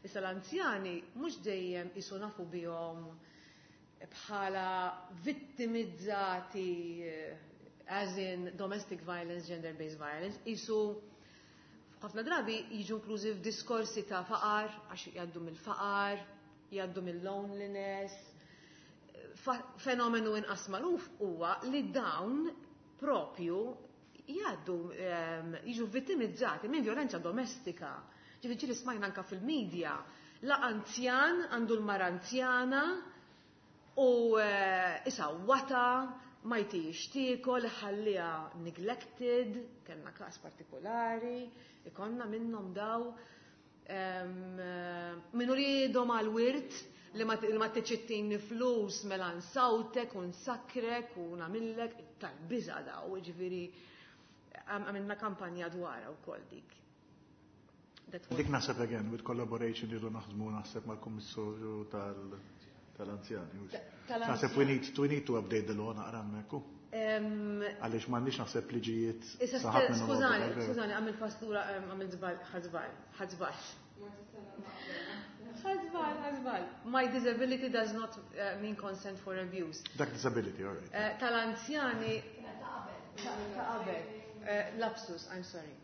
Issa l-anzjani mhux dejjem isu nafu bihom bħala vittimizzati as in domestic violence, gender-based violence, isu ħafna drabi jiġu inklużi f'diskorsi ta' faqar, għax jgħaddu mill-faqar, jgħaddu mill-loneliness. Fenomenu inqas magħruf huwa li dawn propju jgħaddu jiġu vittimizzati minn violenza domestika. Ġifieri smajna anka fil-medja, la anzjan għandu l-mara anzjana u isawwata, ma jtix tiekol, ħalliha neglected, kellna każ partikolari, ikonna minnhom daw minnu riedhom għal-wirt li ma tiċittini flus mela nsawtek u nsakrek u nagħmillek tal-biża daw, ġifieri għamilna kampanja dwarha wkoll dik. Dik naħseb again with collaboration irridu naħdmu naħseb mal-Kummissarju tal-anzjani. Naħseb we need to update the law naqra hemmhekk. Għaliex m'għandniex naħseb liġijiet. Skużani, skużani, għamil pastura, għamil żball, ħażbal, ħażbal. Ħażbal, ħażbal. My disability does not mean consent for abuse. Dak disability, all right. Tal-anzjani. Ta' qabel. Lapsus, I'm sorry.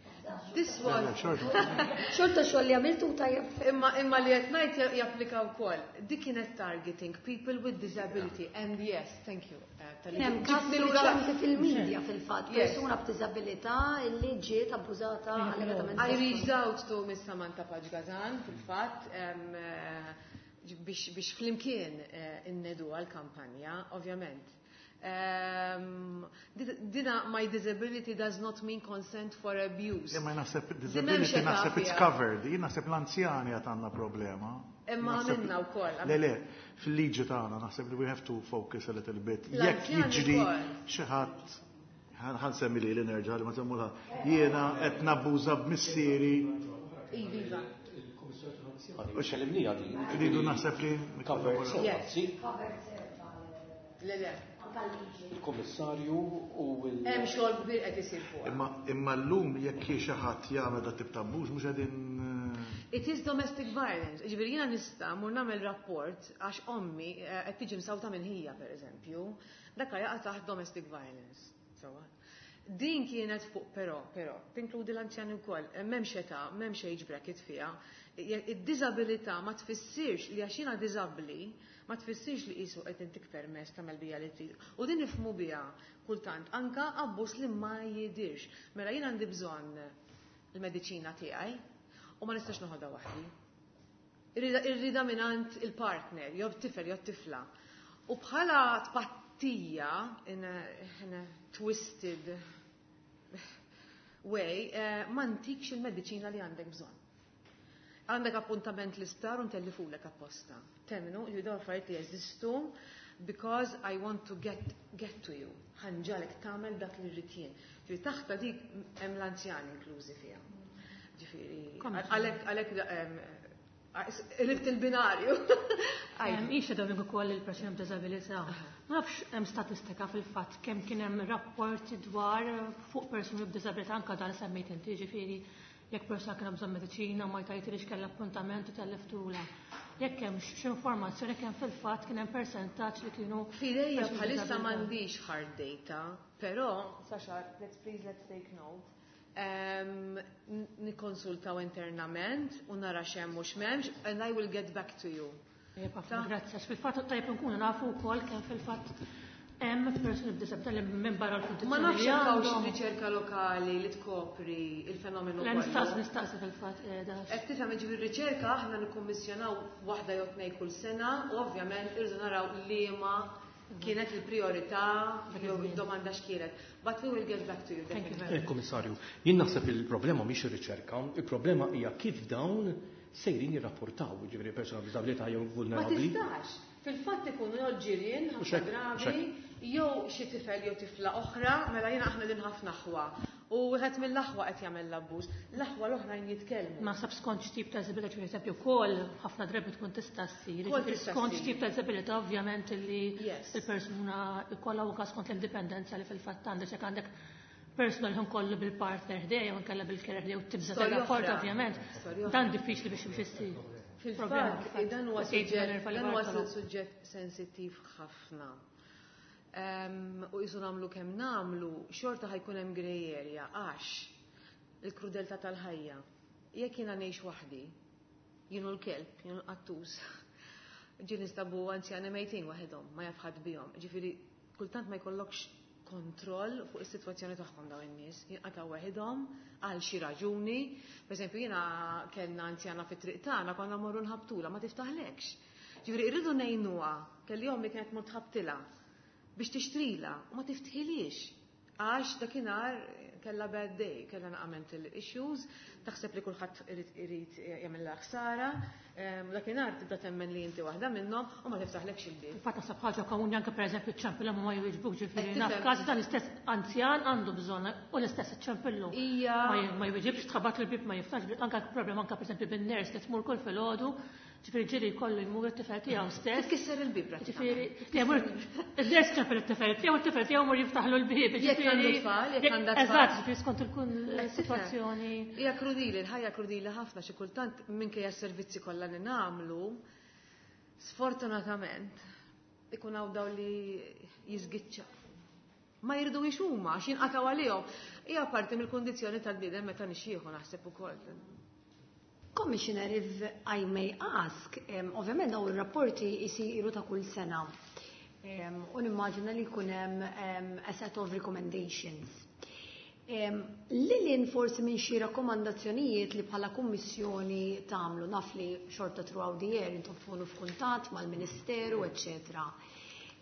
This was Xorta xogħol li għamiltu tajjeb. Imma li qed ngħid japplika wkoll. Dik kienet targeting people with disability and yes, thank you. Hemm każ riċenti fil-medja fil-fatt, persuna b'diżabilità li ġiet abbużata allegatament. I reached out to Miss Samantha Pace Gasan fil-fatt biex flimkien innedu għal-kampanja, ovvjament. Dina my disability does not mean consent for abuse. Ma naħseb disability naħseb it's covered. Jien naħseb l-anzjani għad għandna problema. Imma għamilna wkoll. Le, fil-liġi tagħna naħseb li we have to focus a little bit. Jekk jiġri xi ħadd, ħa nsemmi li li nerġa' li ma semmulha. Jiena qed nabbuża b'missieri. Iva. U xellimnija din. Rridu naħseb li. Covered. Le, le. Il-kommissarju u il- Hemm xogħol kbir qed isir fuq. Imma llum jekk xi ħadd jagħmel dat tip ta' abbuż mhux qegħdin. It is domestic violence. Ġifieri jiena nista' mur nagħmel rapport għax ommi qed tiġi msawta minn ħija pereżempju, dak jaqa' taħt domestic violence. Sewwa. Din kienet fuq però, tinkludi l-anzjani wkoll, m'hemmx età, m'hemmx age bracket fiha. Id-diżabilità ma tfissirx li għax jiena diżabbli, ma tfissirx li qisu qed intik permess tagħmel bija li trid. U din nifhmu biha kultant anka abbuż li ma jidirx. Mela jien għandi bżonn il-mediċina tiegħi u ma nistax noħodha waħdi. Irrida mingħand il-partner, jew tifel jew tifla. U bħala tpattija in a twisted way, ma ntikx il-mediċina li għandek bżonn. Għandek appuntament l-isptar u ntellifulek apposta. Temmnu, ju dawn affarijiet li jeżistu because I want to get to you. Ħa nġagħlek tagħmel dak li rrid jien. Ġifieri taħta dik hemm l-anzjani inklużi fiha. Ġifieri għalhekk ribt il-binarju. Ixa dawn ukoll il-persuni b'diżabilità. Ma nafx hemm statistika fil-fatt kemm kien hemm rapporti dwar fuq persuni b'diżabilità anka dan semmejt inti, ġifieri jekk persuna kien bżonn mediċina ma jtajtilix kellha appuntament u telliftula. Jekk hemm x'informazzjoni kemm fil-fatt kien hemm persentaġġ li kienu F'idejja bħalissa m'għandix hard data, però Sasha, let's please let's take note. Nikkonsultaw internament u nara x'hemm mhux m'hemmx and I will get back to you. Grazzi, għax fil-fatt tajjeb nkunu nafu wkoll kemm fil-fatt hemm persuni b'diżabilità li minn barra l-kundizzjoni. Ma nafx jekk hawnx riċerka lokali li tkopri il-fenomenu. Le, nistaqsi fil-fatt. Qed tifhem, ġifieri riċerka aħna nikkummissjonaw waħda jew tnejn kull sena u ovvjament irridu naraw liema kienet il-priorità jew id-domanda x'kienet. But we will get back to you. Definitely. Komissarju, jien naħseb il-problema mhix ir-riċerka, il-problema hija kif dawn sejrin jirrapportaw, ġifieri persuna b'diżabilità jew vulnerabbli. Ma tistax. Fil-fatt ikunu jew ġirien ħafna drabi, jew xi tifel jew tifla oħra, mela jiena aħna din ħafna aħwa. U wieħed mill-aħwa qed jagħmel l-abbuż. L-aħwa l-oħrajn jitkellmu. Ma sab skont x'tip ta' diżabilità, per eżempju, wkoll ħafna drabi tkun tista' ssir. Skont x'tip ta' diżabilità ovvjament li il-persuna jkollha anke skont l-indipendenza li fil-fatt għandek, jekk għandek persuna li kollu bil-partner ħdejja jew inkella bil-carer ħdejja u tibża' tar-rapport ovvjament. Dan diffiċli biex issir. Fil-fatt, dan huwa suġġett sensittiv ħafna. U jisu nagħmlu kemm nagħmlu, xorta ħa jkun hemm grey area għax il-krudeltà tal-ħajja. Jekk jiena ngħix waħdi, jien u l-kelb, jien u l-qattus, ġie nistabu anzjani mejtin waħedhom, ma jaf ħadd bihom. Ġifieri kultant ma jkollokx kontroll fuq is-sitwazzjoni tagħhom dawn in-nies, jinqataw waħedhom għal xi raġuni. Per eżempju, jiena kellna anzjana fit-triq tagħna, konna morru nħabtula, ma tiftaħlekx. Ġifieri irridu ngħinuha, kelli ommi kienet mort ħabtilha biex tixtrila u ma tiftħilix. Għax dakinhar kellha bad day, kellha naqa mental issues, taħseb li kulħadd irid jagħmilha ħsara, dakinhar tibda temmen li inti waħda minnhom u ma tiftaħlekx il-bieb. Fatt naħseb ħaġa komuni anke pereżempju ċ-ċempilhom u ma jwiġbuk, ġifieri naf każ dan l-istess anzjan għandu bżonn u l-istess iċ-ċempillu. Ma jwiġibx, tħabat il-bieb ma jiftax, anke problema anke pereżempju bin-nurse li tmur kull filgħodu, ġifieri ġieli jkollu jmur it-tifel tiegħu stess. Tkisser il-bieb Ġifieri, jmur il-nurse ċempel it-tifel tiegħu, it-tifel tiegħu mur jiftaħlu l-bieb. Jekk għandu tfal, jekk għandha tfal. Eżatt, ġifieri skont il-kun sitwazzjoni. Hija krudili, l-ħajja krudili ħafna, xi kultant minkejja s-servizzi kollha li nagħmlu, sfortunatament ikun hawn daw li jiżgiċċa. Ma jridu huma għax jinqatgħu għalihom. Hija parti mill-kundizzjoni tal-bniedem meta nixjieħu naħseb ukoll. Commissioner, if I may ask, ovvjament dawn ir-rapporti jisiru ta' kull sena. U nimmaġina li jkun hemm a set of recommendations. Lilin forsi minn xi rakkomandazzjonijiet li bħala kummissjoni tagħmlu, naf li xorta throughout the year intom tkunu f'kuntatt mal-Ministeru, eċċetera.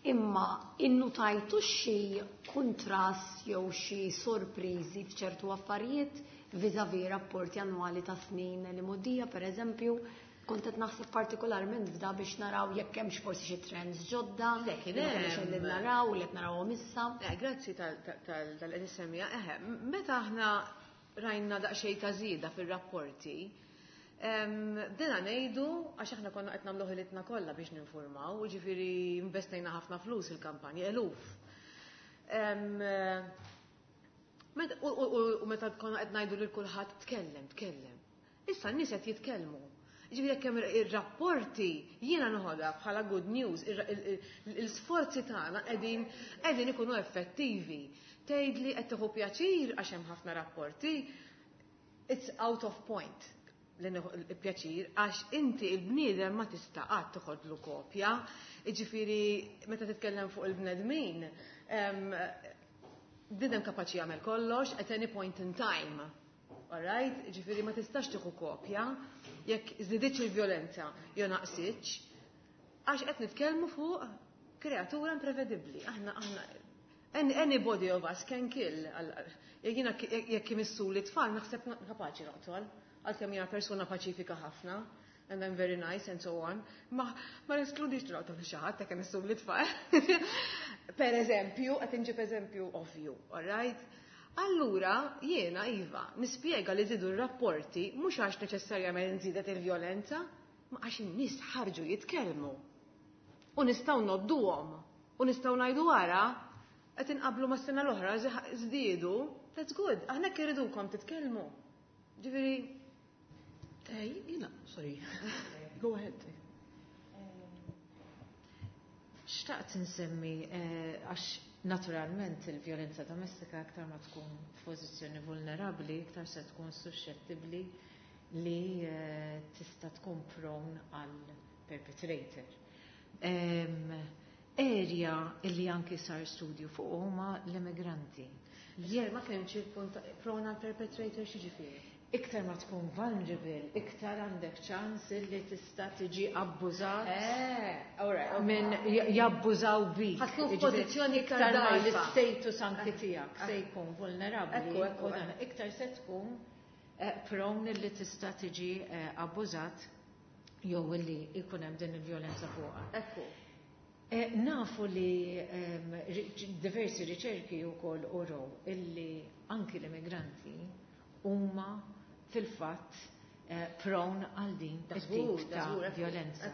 Imma innutajtu xi kontrast jew xi sorpriżi f'ċertu affarijiet vis-a-vis rapporti annwali ta' snin li modija, per eżempju, kont qed naħseb partikolarment f'da biex naraw jekk hemmx forsi xi trends ġodda, Le, kien li ma konniex hemm. qegħdin naraw, li qed narawhom issa. Grazzi tal-qed issemmija. Meta aħna rajna daqsxejn ta' żieda fir-rapporti, bdejna ngħidu għax aħna konna qed nagħmlu ħilitna kollha biex ninformaw, ġifieri investejna ħafna flus il-kampanja, eluf. U meta konna qed ngħidu lil kulħadd tkellem, tkellem. Issa n-nies qed jitkellmu. Ġifieri jekk hemm ir-rapporti jiena noħodha bħala good news, l-isforzi tagħna qegħdin ikunu effettivi. Tgħidli qed tieħu pjaċir għax hemm ħafna rapporti, it's out of point li nieħu il-pjaċir għax inti il-bniedem ma tista' qatt toħodlu kopja. Jiġifieri meta titkellem fuq il-bnedmin, bniedem kapaċi jagħmel kollox at any point in time. All right? Ġifieri ma tistax tieħu kopja jekk żdiditx il-vjolenza jew naqsitx, għax qed nitkellmu fuq kreatura imprevedibbli. Aħna anybody of us can kill. Jekk jiena jekk imissu li tfal naħseb kapaċi noqtol, għalkemm jiena persuna paċifika ħafna, and I'm very nice and so on, ma neskludix noqtol xi ħadd jekk imissu li tfal. Per eżempju, qed inġib eżempju ovvju, all right? Allura, jiena, Iva, nispjega li żidu r-rapporti mhux għax neċessarjament żiedet il-vjolenza, ma għax in-nies ħarġu jitkellmu. U nistgħu nodduhom, u nistgħu ngħidu wara, qed inqablu mas-sena l-oħra żdiedu, that's good, aħna hekk irridukom titkellmu. Ġifieri Jiena, sorry. Go ahead. Xtaqt nsemmi, għax naturalment il-vjolenza domestika aktar ma tkun f'pożizzjoni vulnerabbli, iktar se tkun suscettibbli li tista' tkun prone għal perpetrator. Area illi anki sar studju fuq huma l-immigranti. Jien ma fehmx il-punt prone għal perpetrator x'jiġifieri. Iktar ma tkun vulnerable, iktar għandek ċans li tista' tiġi abbużat. All right, okay. Minn jabbużaw bik. Ħa tkun Jiġifieri, f'pożizzjoni iktar iktar ma dgħajfa. l-status anki tiegħek se jkun vulnerabbli, Ekku, ekku, u dan iktar se tkun prone li tista' tiġi abbużat jew li jkun hemm din il-vjolenza fuqha. Ekku. Nafu li diversi riċerki wkoll uraw illi anki l-immigranti huma fil-fatt prone għal din it-tip ta' violenza.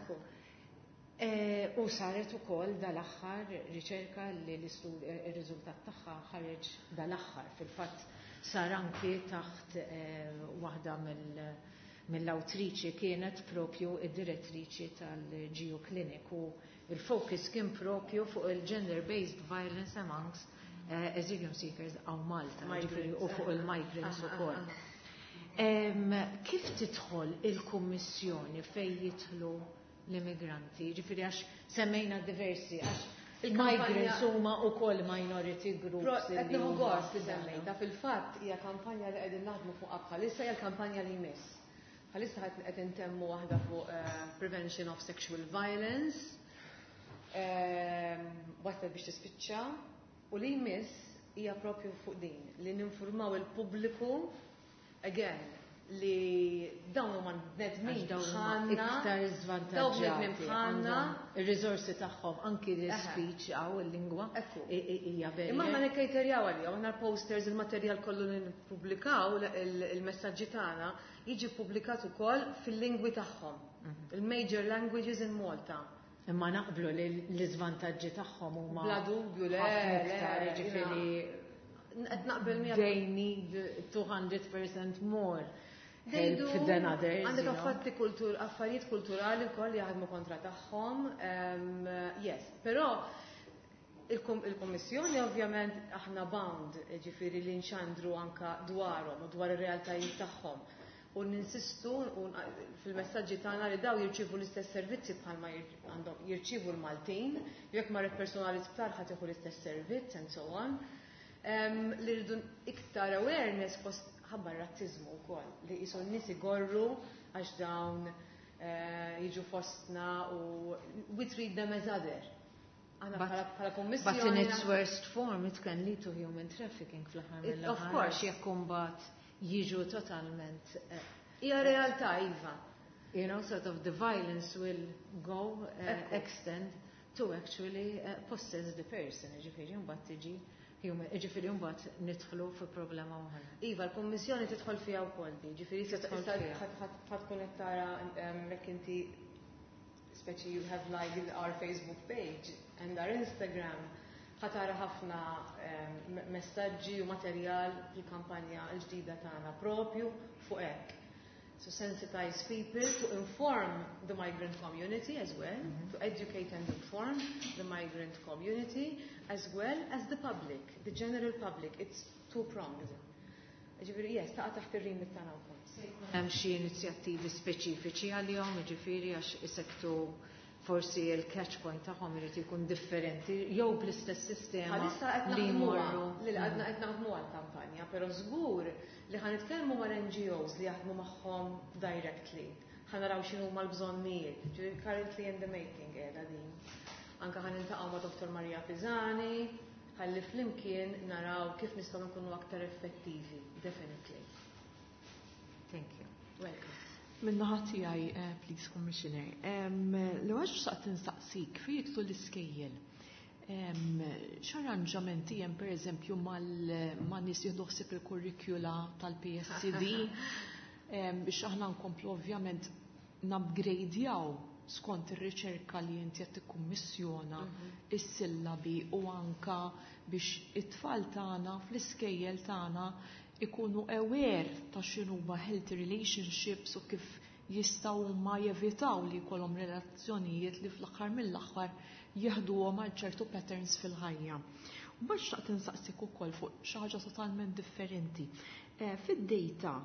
U saret ukoll dal-aħħar riċerka li l-riżultat tagħha ħareġ dal-aħħar, fil-fatt sar anki taħt waħda mill-awtriċi kienet propju id-direttriċi tal-Geo Clinic, u il-focus kien propju fuq il-gender-based violence amongst asylum seekers hawn Malta, u fuq il-migrants ukoll. Kif tidħol il-Kummissjoni fejn jidħlu l-immigranti? Ġifieri għax semmejna diversi, għax il-migrants huma wkoll minority groups. Qed nieħu gost li semmejta, fil-fatt hija kampanja li qegħdin naħdmu fuqha bħalissa, hija l-kampanja li jmiss. Bħalissa qed intemmu waħda fuq prevention of sexual violence. Waslet biex tispiċċa, u li jmiss hija propju fuq din li ninfurmaw il-pubbliku again li dawn huma bnedmin bħalna, iktar żvantaġġati, ir-riżorsi tagħhom, anki l-speech għaw il-lingwa hija vera. Imma aħna nikkejterjaw għalihom, aħna l-posters, il-materjal kollu li nippubblikaw, il-messaġġi tagħna jiġi ppubblikat ukoll fil-lingwi tagħhom, il-major languages in Malta. Imma naqblu li l-iżvantaġġi tagħhom huma bla dubju, le, iktar, ġifieri qed naqbel miegħek. They need 200% more help than others. Għandek affatti kultur, affarijiet kulturali wkoll li jaħdmu kontra tagħhom. Yes, però il-Kummissjoni ovvjament aħna bound, ġifieri li nxandru anka dwarhom u dwar ir-realtajiet tagħhom. U ninsistu fil-messaġġi tagħna li daw jirċievu l-istess servizzi bħalma għandhom jirċievu l-Maltin, jekk marret personali sptar ħadd jieħu l-istess servizz and so on. Li rridu iktar awareness fost ħabba r-razzizmu wkoll, li qisu n-nies igorru għax dawn jiġu fostna u we treat them as other. Aħna bħala kummissjoni. But in its worst form it can lead to human trafficking fl-aħħar mill-aħħar. Of course. Jekk imbagħad jiġu totalment, Hija realtà, iva. Sort of the violence will go extend to actually possess the person, ġifieri mbagħad tiġi human, ġifieri mbagħad nidħlu fi problema oħra. Iva, l-Kummissjoni tidħol fiha wkoll di, ġifieri Tidħol issa fiha. ħadd tkun qed tara, jekk inti speċi you have liked our Facebook page and our Instagram, ħa tara ħafna messaġġi u materjal fil-kampanja l-ġdida tagħna propju fuq hekk. To sensitize people, to inform the migrant community as well, to educate and inform the migrant community as well as the public, the general public. It's two-pronged. Ġifieri, yes, taqa' taħt ir-remit tagħna wkoll. Hemm xi inizjattivi speċifiċi għalihom, ġifieri għax isektu forsi il-catch point tagħhom irid ikun differenti jew bl-istess sistema Bħalissa qed li naħdmuha, jmorru. li għadna qed naħdmu għall-kampanja, però żgur li ħa nitkellmu mal-N G Os li jaħdmu magħhom directly. Ħa naraw x'inhu l-bżonnijiet. Ġifieri currently in the making qiegħda din. Anka ħa niltaqgħu ma' Dr. Maria Pisani, ħalli flimkien naraw kif nistgħu nkunu aktar effettivi, definitely. Thank you. Welcome. Min-naħa tiegħi, please, Commissioner, l-ewwel xtaqt nistaqsik fejn jidħlu l-iskejjel. X'arranġamenti hemm pereżempju ma' nies jieħdu ħsieb il-kurrikula tal-PSCD, biex aħna nkomplu ovvjament nupgradejaw skont ir-riċerka li inti qed tikkummissjona is-sillabi u anka biex it-tfal tagħna fl-iskejjel tagħna ikunu aware ta' x'inhuma healthy relationships u kif jistgħu huma jevitaw li jkollhom relazzjonijiet li fl-aħħar mill-aħħar jeħduhom għal ċertu patterns fil-ħajja. U mbagħad xtaqt insaqsik ukoll fuq xi ħaġa totalment differenti. Fid-data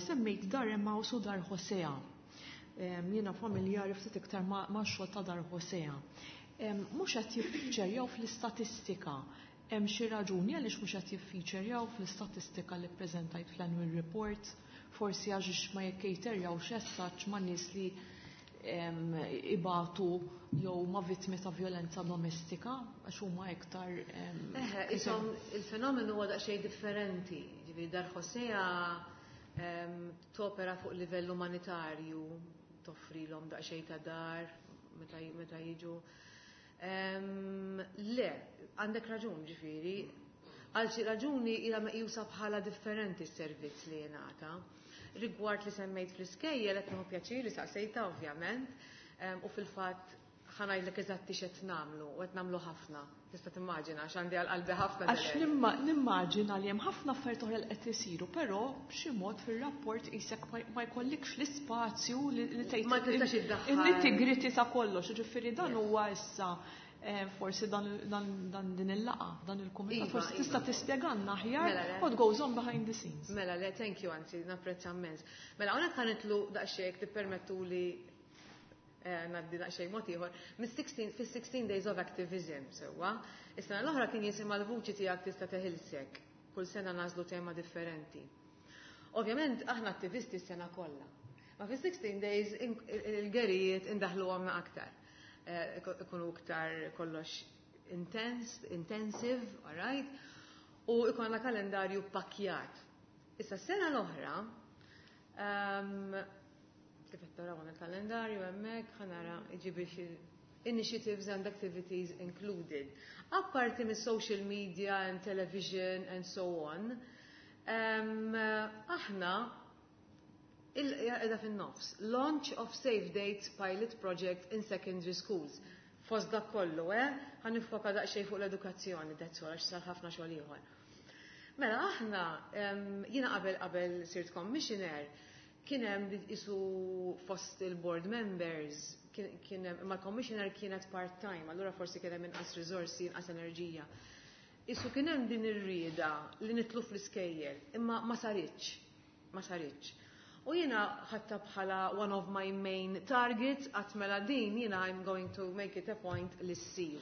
semmejt Dar Emmaus u Dar Hosea. Jiena familjari ftit iktar ma' xogħol ta' Dar Hosea. Mhux qed jiffiċerjaw fl-istatistika. Hemm xi raġuni għaliex mhux qed jiffiċerjaw fl-istatistika li ppreżentajt fl-annual report, forsi għax ma jikkejterjawx essaċ ma' nies li ibatu jew ma' vittmi ta' violenza domestika, għax huma iktar, Eħe, isom il-fenomenu huwa daqsxejn differenti. Ġifieri Dar Hosea topera fuq livell umanitarju, toffrilhom daqsxejn ta' dar meta jiġu. Le, għandek raġun ġifieri, għal xi raġuni ilha meqjusa bħala differenti s-servizz li jingħata. Rigward li semmejt fl-iskejjel qed nieħu pjaċir li saqsejta ovvjament, u fil-fatt ħa ngħidlek eżatti x'qed nagħmlu u qed nagħmlu ħafna. Tista' timmaġina għax għandi għal qalbi ħafna. Għax nimmaġina li hemm ħafna affarijiet oħra li qed isiru, però b'xi mod fir-rapport qisek ma jkollikx l-ispazju li tgħid Ma tistax iddaħħal. In-nitty-gritty ta' kollox, ġifieri dan huwa issa forsi dan din il-laqgħa, dan il-kumitat, forsi tista' tispjegalna aħjar Mela, le. what goes on behind the scenes. Mela, le, thank you, anzi, napprezza immens. Mela, hawnhekk ħa nidħlu daqsxejn tippermettuli ngħaddi daqsxejn mod ieħor, fis-16 days of activism, sewwa. Is-sena l-oħra kien jisimha l-vuċi tiegħek tista' teħilsek. Kull sena nagħżlu tema differenti. Ovvjament aħna attivisti s-sena kollha. Ma fis-16 days il-gerijiet indaħluhom aktar. Ikunu iktar kollox intense, intensive, all right? U ikonna kalendarju pakjat. Issa s-sena l-oħra, kif qed taraw għandna kalendarju hemmhekk, ħa nara iġibi xi initiatives and activities included. Apparti mis social media and television and so on, aħna il-qiegħda fin-nofs. Launch of Safe Dates Pilot Project in Secondary Schools. Fost dak kollu, ħa niffoka daqsxejn fuq l-edukazzjoni, that's all, għax sar ħafna xogħol ieħor. Mela aħna, jiena qabel sirt commissioner, kien hemm isu fost il-board members, kien hemm, imma l-commissioner kienet part-time, allura forsi kien hemm inqas riżorsi, inqas enerġija. Isu kien hemm din ir-rieda li nidħlu fl-iskejjel, imma ma saritx, ma saritx. U jiena ħadtha bħala one of my main targets, għedt mela din jiena I'm going to make it a point li ssir.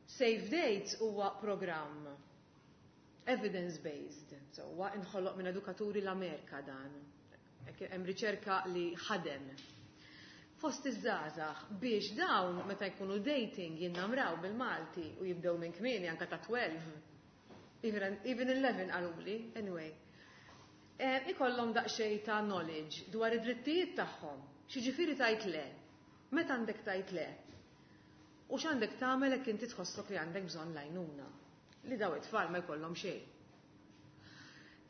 Safe Dates huwa programm evidence-based, so huwa inħoloq minn edukaturi l-Amerika dan. Hemm riċerka li ħadem. Fost iż-żgħażagħ biex dawn meta jkunu dating jinnamraw bil-Malti u jibdew minn kmieni anka ta' 12. Even 11 qaluli, anyway. Ikollhom daqsxejn ta' knowledge dwar id-drittijiet tagħhom. X'jiġifieri tgħid le? Meta għandek tgħid le? U x'għandek tagħmel jekk inti tħossok li għandek bżonn l-għajnuna? Li daw it-tfal ma jkollhom xejn.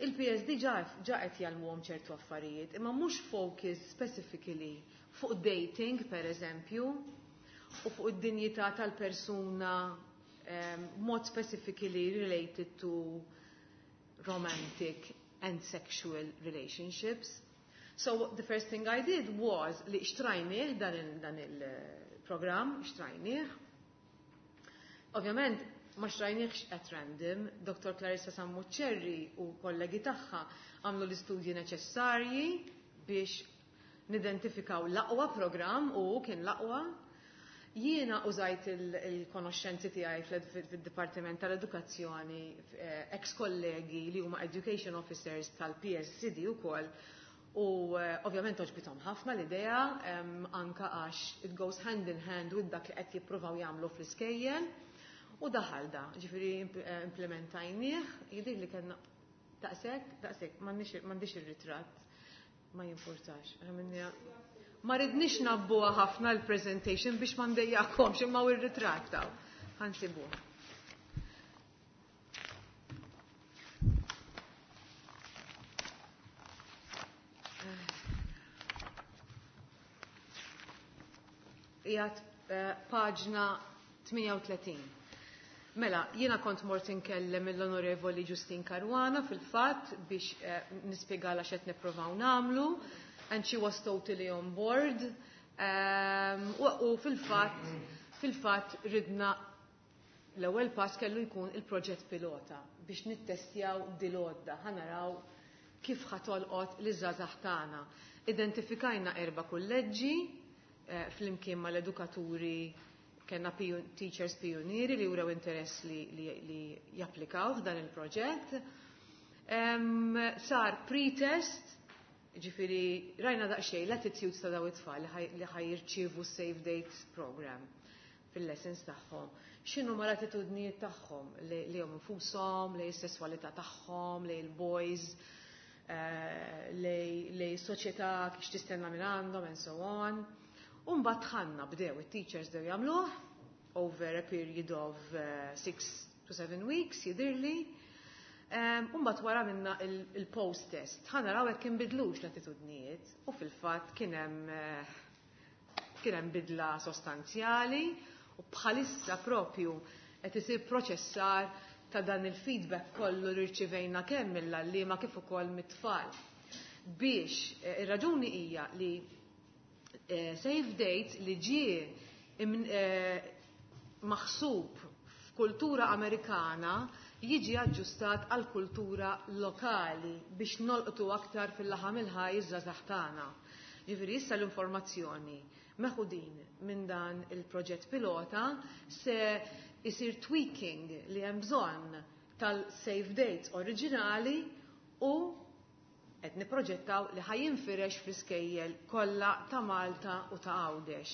Il-PSD ġa qed jgħallmuhom ċertu affarijiet, imma mhux focus specifically fuq dating, per eżempju, u fuq id-dinjità tal-persuna mod specifically related to romantic and sexual relationships. So the first thing I did was li xtrajnieh dan il-program, xtrajnieh. Ovvjament, ma xtrajniehx at random, Dr. Clarissa Sammuccerri u kollegi tagħha għamlu l-istudji neċessarji biex nidentifikaw l-aqwa program u kien l-aqwa. Jiena użajt il-konoxxenzi tiegħi fil-Dipartiment tal-Edukazzjoni, ex-kollegi li huma education officers tal-PSCD ukoll, u ovvjament għoġbithom ħafna l-idea, anka għax it goes hand in hand with dak li qed jippruvaw jagħmlu fl-iskejjel. U daħal da, ġifieri implementajnieh, jidir li kellna daqshekk, daqshekk, m'għandix ir-ritratt, ma jimpurtax. Ma ridnix nabbuha ħafna l-presentation biex ma ndejjakomx, imma u r-ritratt taw. Ħa nsibuh. Qiegħed paġna 38. Mela, jiena kont mort inkellem l-Onorevoli Justyne Caruana fil-fatt biex nispjegala x'qed nippruvaw nagħmlu, and she was totally on board. U fil-fatt ridna l-ewwel pass kellu jkun il-proġett pilota biex nittestjaw dil-għodda, ħa naraw kif ħa tolqot liż-żgħażagħ tagħna. Identifikajna 4 kulleġġi flimkien mal-edukaturi, kellna teachers pionieri li wrew interess li japplikaw f'dan il-proġett. Sar pre-test, ġifieri rajna daqsxejn l-attitudes ta' daw it-tfal li ħa jirċievu Safe Dates program fil-lessons tagħhom. X'inhu ma l-attitudnijiet tagħhom li hom infushom, li s-sesswalità tagħhom, li l-boys, li s-soċjetà kif tistenna minn għandhom and so on. U mbagħad ħanna bdew it-teachers bdew jagħmluh. over a period of 6 to 7 weeks, jidhirli. U mbagħad wara minna il-post-test. Ħa naraw hekk inbidlux l-attitudnijiet u fil-fatt kien hemm bidla sostanzjali u bħalissa propju qed isir proċessar ta' dan il-feedback kollu li rċivejna kemm mill-għalliema kif ukoll mit-tfal. Biex ir-raġuni hija li save date li ġie maħsub f'kultura Amerikana jiġi aġġustat għal kultura lokali biex nolqtu aktar fil-laħam il-ħaj iż-żgħażagħ tagħna. Ġifieri issa l-informazzjoni meħudin minn dan il-proġett pilota se isir tweaking li hemm bżonn tal-save dates oriġinali u qed niproġettaw li ħa jinfirex fl-iskejjel kollha ta' Malta u ta' Għawdex.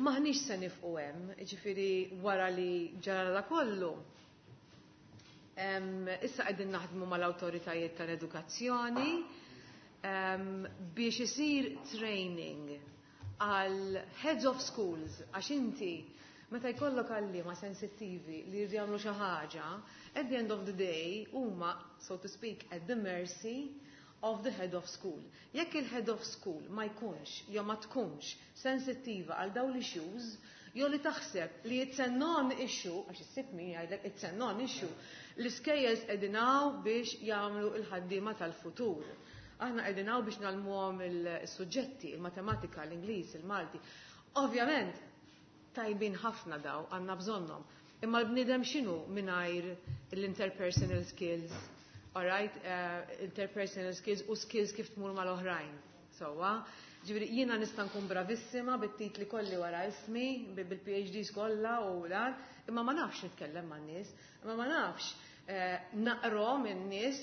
Maħniex se nieqfu hemm, ġifieri wara li ġara da kollu. Issa qegħdin naħdmu mal-awtoritajiet tal-edukazzjoni biex isir training għal heads of schools, għax inti meta jkollok għalliema sensittivi li jridu jagħmlu xi ħaġa, at the end of the day huma, so to speak, at the mercy of the head of school. Jekk il-head of school ma jkunx jew ma tkunx sensittiva għal dawn l-issues, jew li taħseb li it's a non-issue, għax issib min jgħidlek it's a non-issue, l-iskejjel qegħdin hawn biex jagħmlu il-ħaddiema tal-futur. Aħna qegħdin hawn biex ngħallmuhom il-suġġetti, il-matematika, l-Ingliż, il-Malti. Ovvjament, tajbin ħafna daw, għandna bżonnhom. Imma l-bniedem x'inhu mingħajr l-interpersonal skills, alright, interpersonal skills u skills kif tmur mal-oħrajn. Sowa, ġifieri jiena nista' nkun bravissima bit-titli kolli wara ismi, bil-PhDs kollha u dan, imma ma nafx nitkellem man-nies, imma ma nafx naqrom in-nies,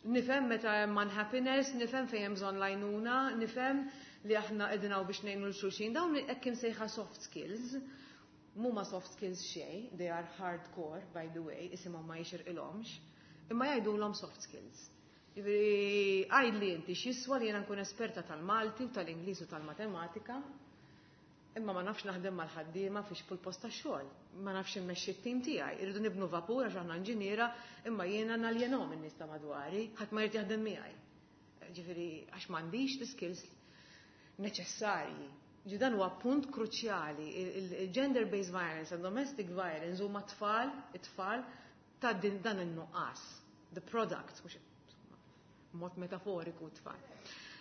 nifhem meta hemm unhappiness, nifhem fejn hemm bżonn l-għajnuna, nifhem li aħna qegħdin hawn biex ngħinu lil xulxin, dawn hekk imsejħa soft skills. Mhuma soft skills xejn, they are hardcore, by the way, isimhom ma jixirqilhomx, imma jgħidulhom soft skills. Ġifieri għidli inti x'jiswa li jiena nkun esperta tal-Malti u tal-Ingliż u tal-Matematika, imma ma nafx naħdem mal-ħaddiema fiex fuq post tax-xogħol, ma nafx immexxi t-tim tiegħi, irridu nibnu vapur għax aħna inġiniera, imma jiena naljenhom in-nies ta' madwari, ħadd ma jrid jaħdem miegħi. Ġifieri għax m'għandix l-skills neċessarji. Ġi dan huwa punt kruċjali, il-gender-based violence and domestic violence huma tfal, it-tfal ta' din dan in-nuqqas, the product, mhux mod metaforiku tfal.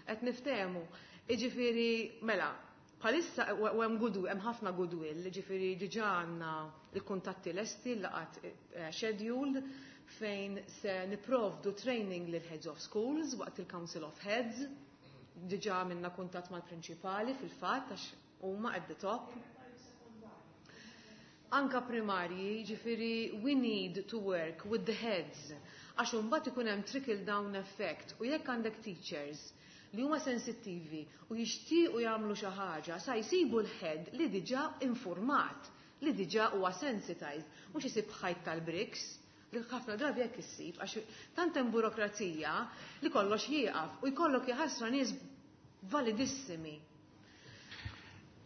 Qed niftehmu, jiġifieri mela, bħalissa u hemm goodwill, hemm ħafna goodwill, jiġifieri diġà għandna l-kuntatti lesti, laqat scheduled fejn se niprovdu training lil heads of schools waqt il-Council of Heads, diġà minna kuntatt mal-prinċipali fil-fatt għax huma at the top. Anka primarji, ġifieri we need to work with the heads għax imbagħad ikun hemm trickle down effect u jekk għandek teachers li huma sensittivi u jixtiequ jagħmlu xi ħaġa sa jsibu l-head li diġà informat, li diġà huwa sensitized, mhux isib ħajt tal-bricks, li ħafna drabi jekk issib, għax tant hemm burokrazija li kollox jieqaf u jkollok jaħasra nies validissimi.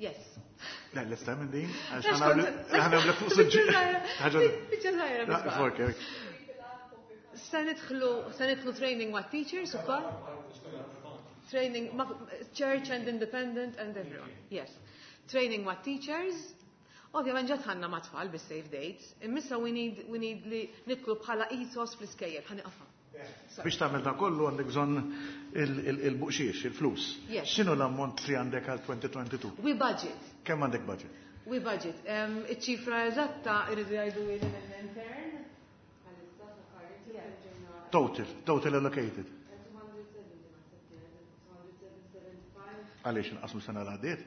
Yes. Le, l-esta minn din, għax ħa nagħmlu fuq suġġett. Biċċa żgħira biss. Ok. Se nidħlu training ma' teachers ukoll. Training ma' church and independent and everyone. Yes. Training ma' teachers. Ovvjament ġa dħalna ma' tfal bis-save dates. Imma issa we need li nidħlu bħala ethos fl-iskejjel. Ħa nieqaf. Biex tagħmel dan kollu għandek bżonn il-buqxiex, il-flus. Yes. X'inhu l-ammont li għandek għal 2022? We budget. Kemm għandek budget? We budget. Iċ-ċifra eżatta irridu jgħidu l-intern. Total allocated. Għaliex inqas sena l-għaddiet?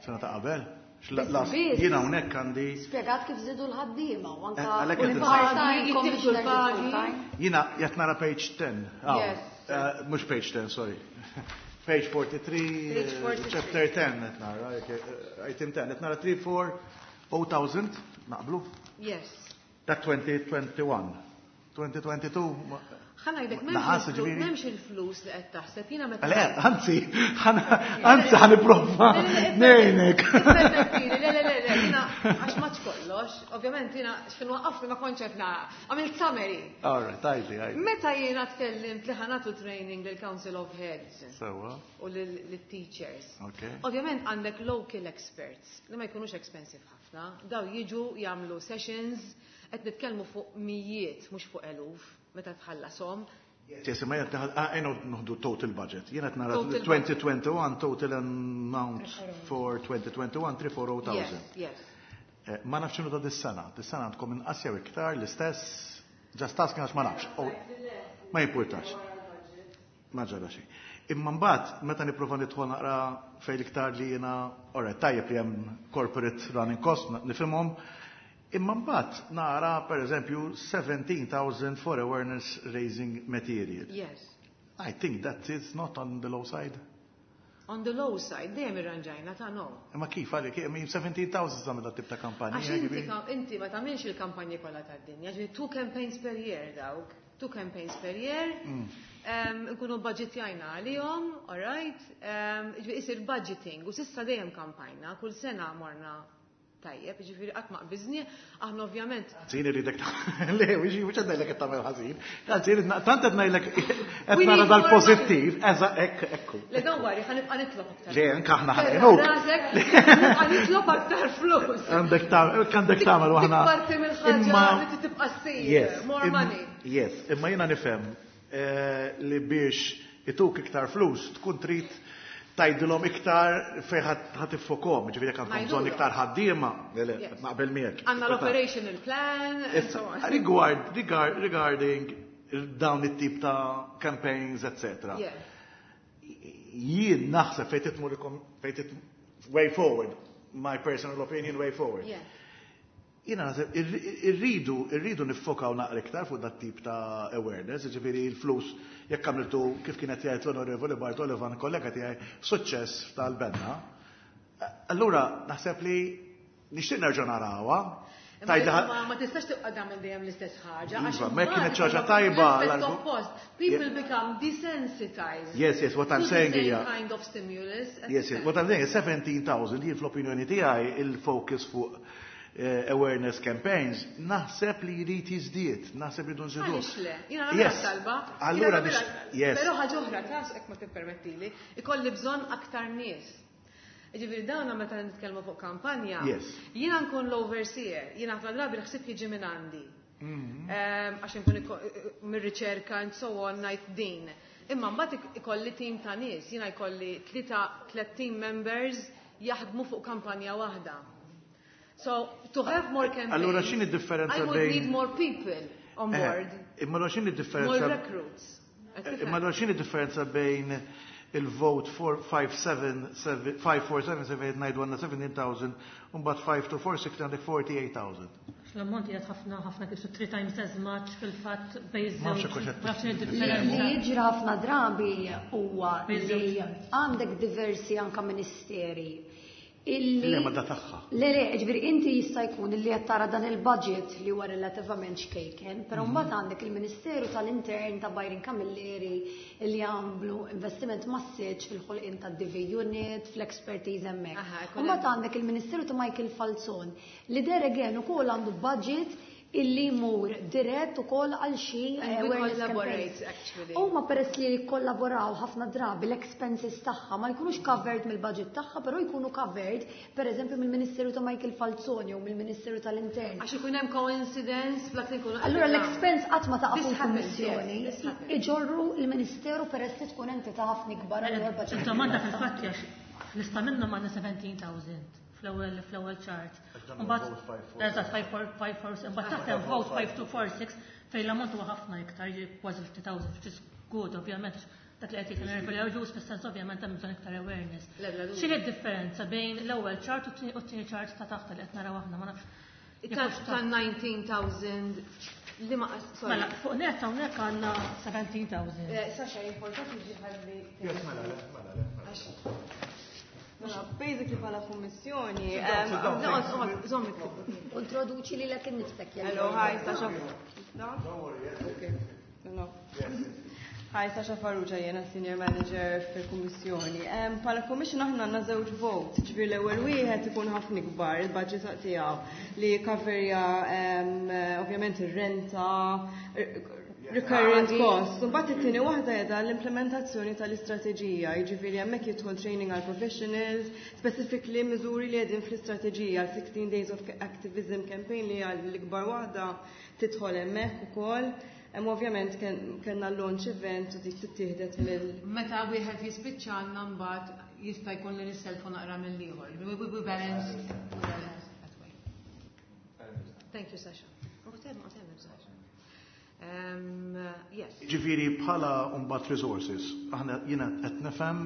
Sena ta' qabel? Biss. Jiena hawnhekk għandi Spjegat kif żidu l-ħaddiema u anka Għalhekk qed il-part-time, Jittieħdu commissioners l-pagi. full-time. Jiena qed nara page 10. Ah, Yes. Mhux page 10, sorry. Page 43, Page 43. chapter 10 qed nara, item 10, qed nara 3, 4, 0,000, naqblu? Yes. Dak 2021. 2022, Ħa ngħidlek Naħas, ġifieri? m'hemmx il-flus li qed taħseb, jiena meta. Le, anzi, anzi ħa nipprova ngħinek. Ippermettili, le, le, le, le, jiena għax maċ kollox, ovvjament jiena x'kien waqqafni ma kontx qed nara. Għamilt summary. All right, għidli, għidli. Meta jiena tkellimt li ħa nagħtu training lil Council of Heads u lil teachers. Ovvjament għandek local experts li ma jkunux expensive ħafna, daw jiġu jagħmlu sessions, qed nitkellmu fuq mijiet mhux fuq eluf meta tħallasom. Yes, ma jgħat għajnu nħdu total budget. Jiena nara Total budget. 2021 total amount for 2021 340,000. Yes. Ma nafx x'inhu ta' dis-sena. Dis-sena għandkom inqas jew iktar l-istess, just asking għax ma nafx. Oh, ma jimpurtax. Ma ġara xejn. Imma mbagħad meta nipprova nidħol naqra fejn iktar li jiena, all right, tajjeb li hemm corporate running cost, nifhimhom. Imma mbagħad nara pereżempju 17,000 for awareness raising material. Yes. I think that is not on the low side. On the low side, dejjem irranġajna ta' no. Imma kif għalik, I mean, 17,000 tagħmel dat tip ta' kampanja. Għax inti ma tagħmilx il-kampanji kollha tad-dinja, ġifieri 2 campaigns per year dawk, 2 campaigns per year. Nkunu budgetjajna għalihom, all right? Ġifieri isir budgeting u s'issa dejjem kampajna, kull sena morna tajjeb, ġifieri qatt ma qbiżni, aħna ovvjament. Ħażin irridek le, mhux qed ngħidlek qed tagħmel ħażin. Anzi, tant qed ngħidlek qed We nara need more dal-pożittiv, money. eża, ekk, ekku. Le, don't worry, ħa nibqa' nitlob aktar. Le, anke aħna ħa ngħinuk. Rasek, nibqa' nitlob aktar flus. Għandek tagħmel u aħna Parti mill-ħaġa Imma li tibqa' ssir, Yes, more money. Yes, imma jiena nifhem li biex ituk iktar flus tkun trid tgħidilhom iktar fejn ħa tiffokom, ġifieri jekk għandkom bżonn Ngħidulhom. iktar ħaddiema, le, le, Yes. naqbel miegħek. Għandna l-operational plan and Issa, so on. regarding dawn it-tip ta' campaigns, etc. Yeah. Jien naħseb fejn titmur ikom, fejn way forward, my personal opinion, way forward. Yeah. Jiena naħseb irridu niffokaw naqra iktar fuq dat tip ta' awareness, ġifieri l-flus jekk għamiltu kif kienet jgħid l-Onorevoli Bartolo Ivan, kollega tiegħi, suċċess tal-benna. Allura naħseb li nixtieq nerġa' narawha. Imma Tajda ma tistax tibqa' tagħmel dejjem l-istess ħaġa, Iva, għax ma jekk kienet imbagħad xi ħaġa ikollok tajba, l-effett l-argu- oppost. People Yeah. become desensitized. Yes, what I'm to the saying same hija kind of stimulus. Yes, what I'm saying is 17,000 jien fl-opinjoni tiegħi il-focus fuq awareness campaigns, naħseb li jrid jiżdied, naħseb li dun żidu. Għaliex le? Jiena nagħmilha Yes. talba. Allura Jiena biex nagħmilha- yes. Però ħaġa oħra, tas hekk ma tippermettili, ikolli bżonn aktar nies. Ġifieri dawna meta nitkellmu fuq kampanja, jiena nkun l-overseer, jiena ħafna drabi l-ħsieb jiġi minn għandi. Għax nkun mir-riċerka and so on ngħid din. Imma mbagħad ikolli team ta' nies, jiena jkolli tliet team members jaħdmu fuq kampanja waħda. So, to have more campaigns, Allura x'inhi d-differenza I would bejn need more people on board. Imma allura x'inhi d-differenza More recruits. Imma allura x'inhi d-differenza bejn il-vote four, five, seven, seven, five, four, seven, seven, eight, nine, one, 17,000, u mbagħad five, two, four, six, għandek 48,000. L-ammont qiegħed ħafna, ħafna kisu 3 times as much fil-fatt bejn Ma nafx żewġ. hekk hux qed Ma nafx x'inhi Li d-differenza. jiġri ħafna drabi huwa Bejn li żewġ. għandek diversi anka ministeri illi Le, ma da tagħha. Le, le, ġifieri inti jista' jkun illi qed tara dan il-budget li huwa relattivament xkejken, però mbagħad għandek il-Ministeru tal-Intern ta' Byron Camilleri li għamlu investiment massiċ fil-ħolqien tad-DV unit, fl-expertise hemmhekk. Aha, ikun Mbagħad hemm. għandek il-Ministeru ta' Michael Falzon li there again ukoll għandu budget illi jmur dirett ukoll għal xi And we awareness collaborate, campaigns. actually. Huma peress li jikkollaboraw ħafna drabi l-expenses tagħha ma jkunux covered mill-budget tagħha, però jkunu covered pereżempju mill-Ministeru ta' Michael Falzon jew mill-Ministeru tal-Intern. Għax ikun hemm coincidence flak li nkunu Allura l-expense qatt ma taqa' This fuq happens, il-Kummissjoni, yes, this happens. iġorru l-Ministeru peress li tkun entità ħafna ikbar allura l-budget. Il-domanda fil-fatt hija lista minnhom għandna 17,000 fl-ewwel chart. Għax dan huwa Mbagħad vote five, four, eżatt 5 4 5 4 imbagħad taħt hemm vote 5 2 4 6 fejn l-ammont huwa ħafna iktar, jiġi kważi 50,000, which is good ovvjament. Dak li qed jgħid l-Onorevoli Agius fis-sens ovvjament hemm bżonn iktar awareness. Le, bla dubju. X'inhi d-differenza bejn l-ewwel chart u t-tieni chart ta' taħt li qed naraw aħna ma nafx. Ta' 19,000 li ma sorry. Mela, fuq net hawnhekk għandna 17,000. Sasha, importanti ġi ħalli. Yes, mela, le, mela, le, mela. Għax Mela, basically bħala kummissjoni. Sit down, sit down, Noqgħod, thanks. oqgħod, żomm Introduċi lilek innifsek. Hello, hi, Sasha. Don't worry, yes. Okay. No. Hi, Sasha Farrugia, jena Senior Manager fil-Kummissjoni. Bħala Commission aħna għandna żewġ vote, ġifieri l-ewwel wieħed ikun ħafna ikbar il-budget tiegħu li jikkaverja ovvjament ir-renta, recurrent costs. Mbagħad it-tieni waħda qiegħda l-implementazzjoni tal-istrateġija, jiġifieri hemmhekk jidħol training għal professionals, specifically miżuri li qegħdin fl-istrateġija, 16 Days of Activism campaign li għal l-ikbar waħda tidħol hemmhekk ukoll. Hemm ovvjament kellna launch event u dik tittieħdet mill Meta wieħed jispiċċa għandna mbagħad jista' jkun li nisselfu naqra mill-ieħor. We balance, we balance that way. Thank you, Sasha. Sasha. Yes. Ġifieri bħala mbagħad resources, aħna jiena qed nifhem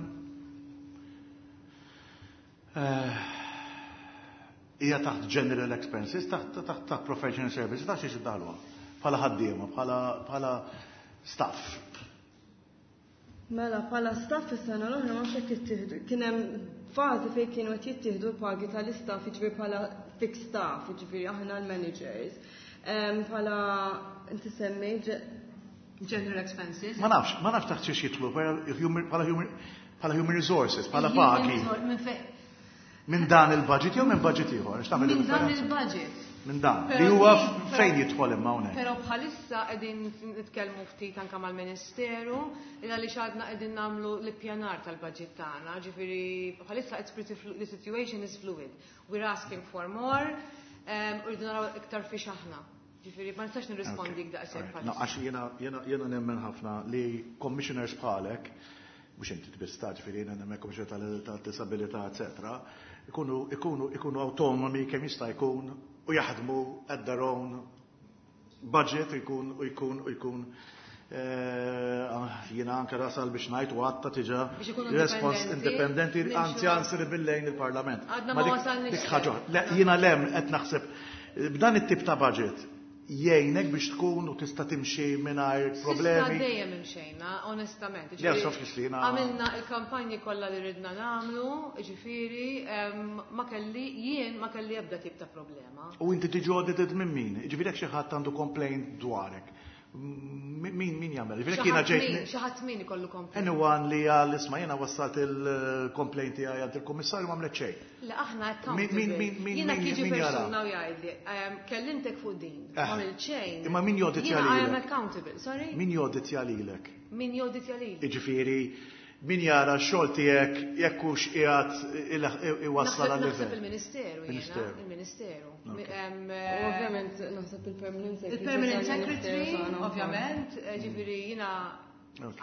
hija taħt general expenses, taħt professional services, taħt xi iddaħluha. Bħala ħaddiema, bħala staff. Mela, bħala staff is-sena l-oħra ma xek jittieħdu. Kien hemm fażi fejn kienu qed jittieħdu l-pagi tal-istaff, jiġifieri bħala fixed staff, jiġifieri aħna l-managers. Bħala inti semmejt general expenses. Ma nafx taħt xiex jitlu, bħala human resources, bħala pagi. Minn dan il-budget jew minn budget ieħor? Minn dan il-budget. Minn dan. Li huwa fejn jidħol imma hawnhekk. Però bħalissa qegħdin nitkellmu ftit anke mal-Ministeru, illa li xadna qegħdin nagħmlu l-ippjanar tal-budget tagħna, ġifieri bħalissa it's pretty the situation is fluid. We're asking for more, u rridu naraw iktar fiex aħna. Ġifieri ma nistax nirrispondi daqshekk bħalissa. No, għax jiena nemmen ħafna li commissioners bħalek, mhux inti tbista, ġifieri jiena nemmen commissioner tal-disabilità, eccetera, ikunu autonomi kemm jista' jkun u jaħdmu at their own budget ikun u jkun u jkun jiena anke rasal biex ngħid u għatta tiġa respons indipendenti, anzi answer billejn il-Parlament. Għadna ma wasalniex. Dik ħaġa. Le, jiena lem qed naħseb b'dan it-tip ta' budget jgħinek biex tkun u tista' timxi mingħajr problemi. S'issa dejjem imxejna, onestament. Le, sof kif li jiena Għamilna il-kampanji kollha li ridna nagħmlu, ġifieri, jien ma kelli ebda tip ta' problema. U inti tiġi audited minn min? Ġifieri jekk xi ħadd għandu complaint dwarek. Min jagħmel? Ġifieri jekk jiena ġejt Xi ħadd min ikollu complaint. Anyone li għal isma' jiena wassalt il-complaint tiegħi għand il-kummissarju ma għamlet xejn. Le, aħna accountable. Jiena jiġi Min jara? persuna u jgħidli, kellimtek fuq din, ma għamilt xejn. Imma min joditja Jiena I am lilek? accountable, sorry? Min joditja lilek? Min joditja lilek? Jiġifieri, min jara x-xogħol tiegħek jekk hux qiegħed iwassal għal Naħseb livell. il-Ministeru jiena, Ministeru. il-Ministeru. Ovvjament naħseb il-Permanent Secretary. Il-Permanent tal-Ministeru Secretary, tagħna wkoll. ovvjament, ġifieri jiena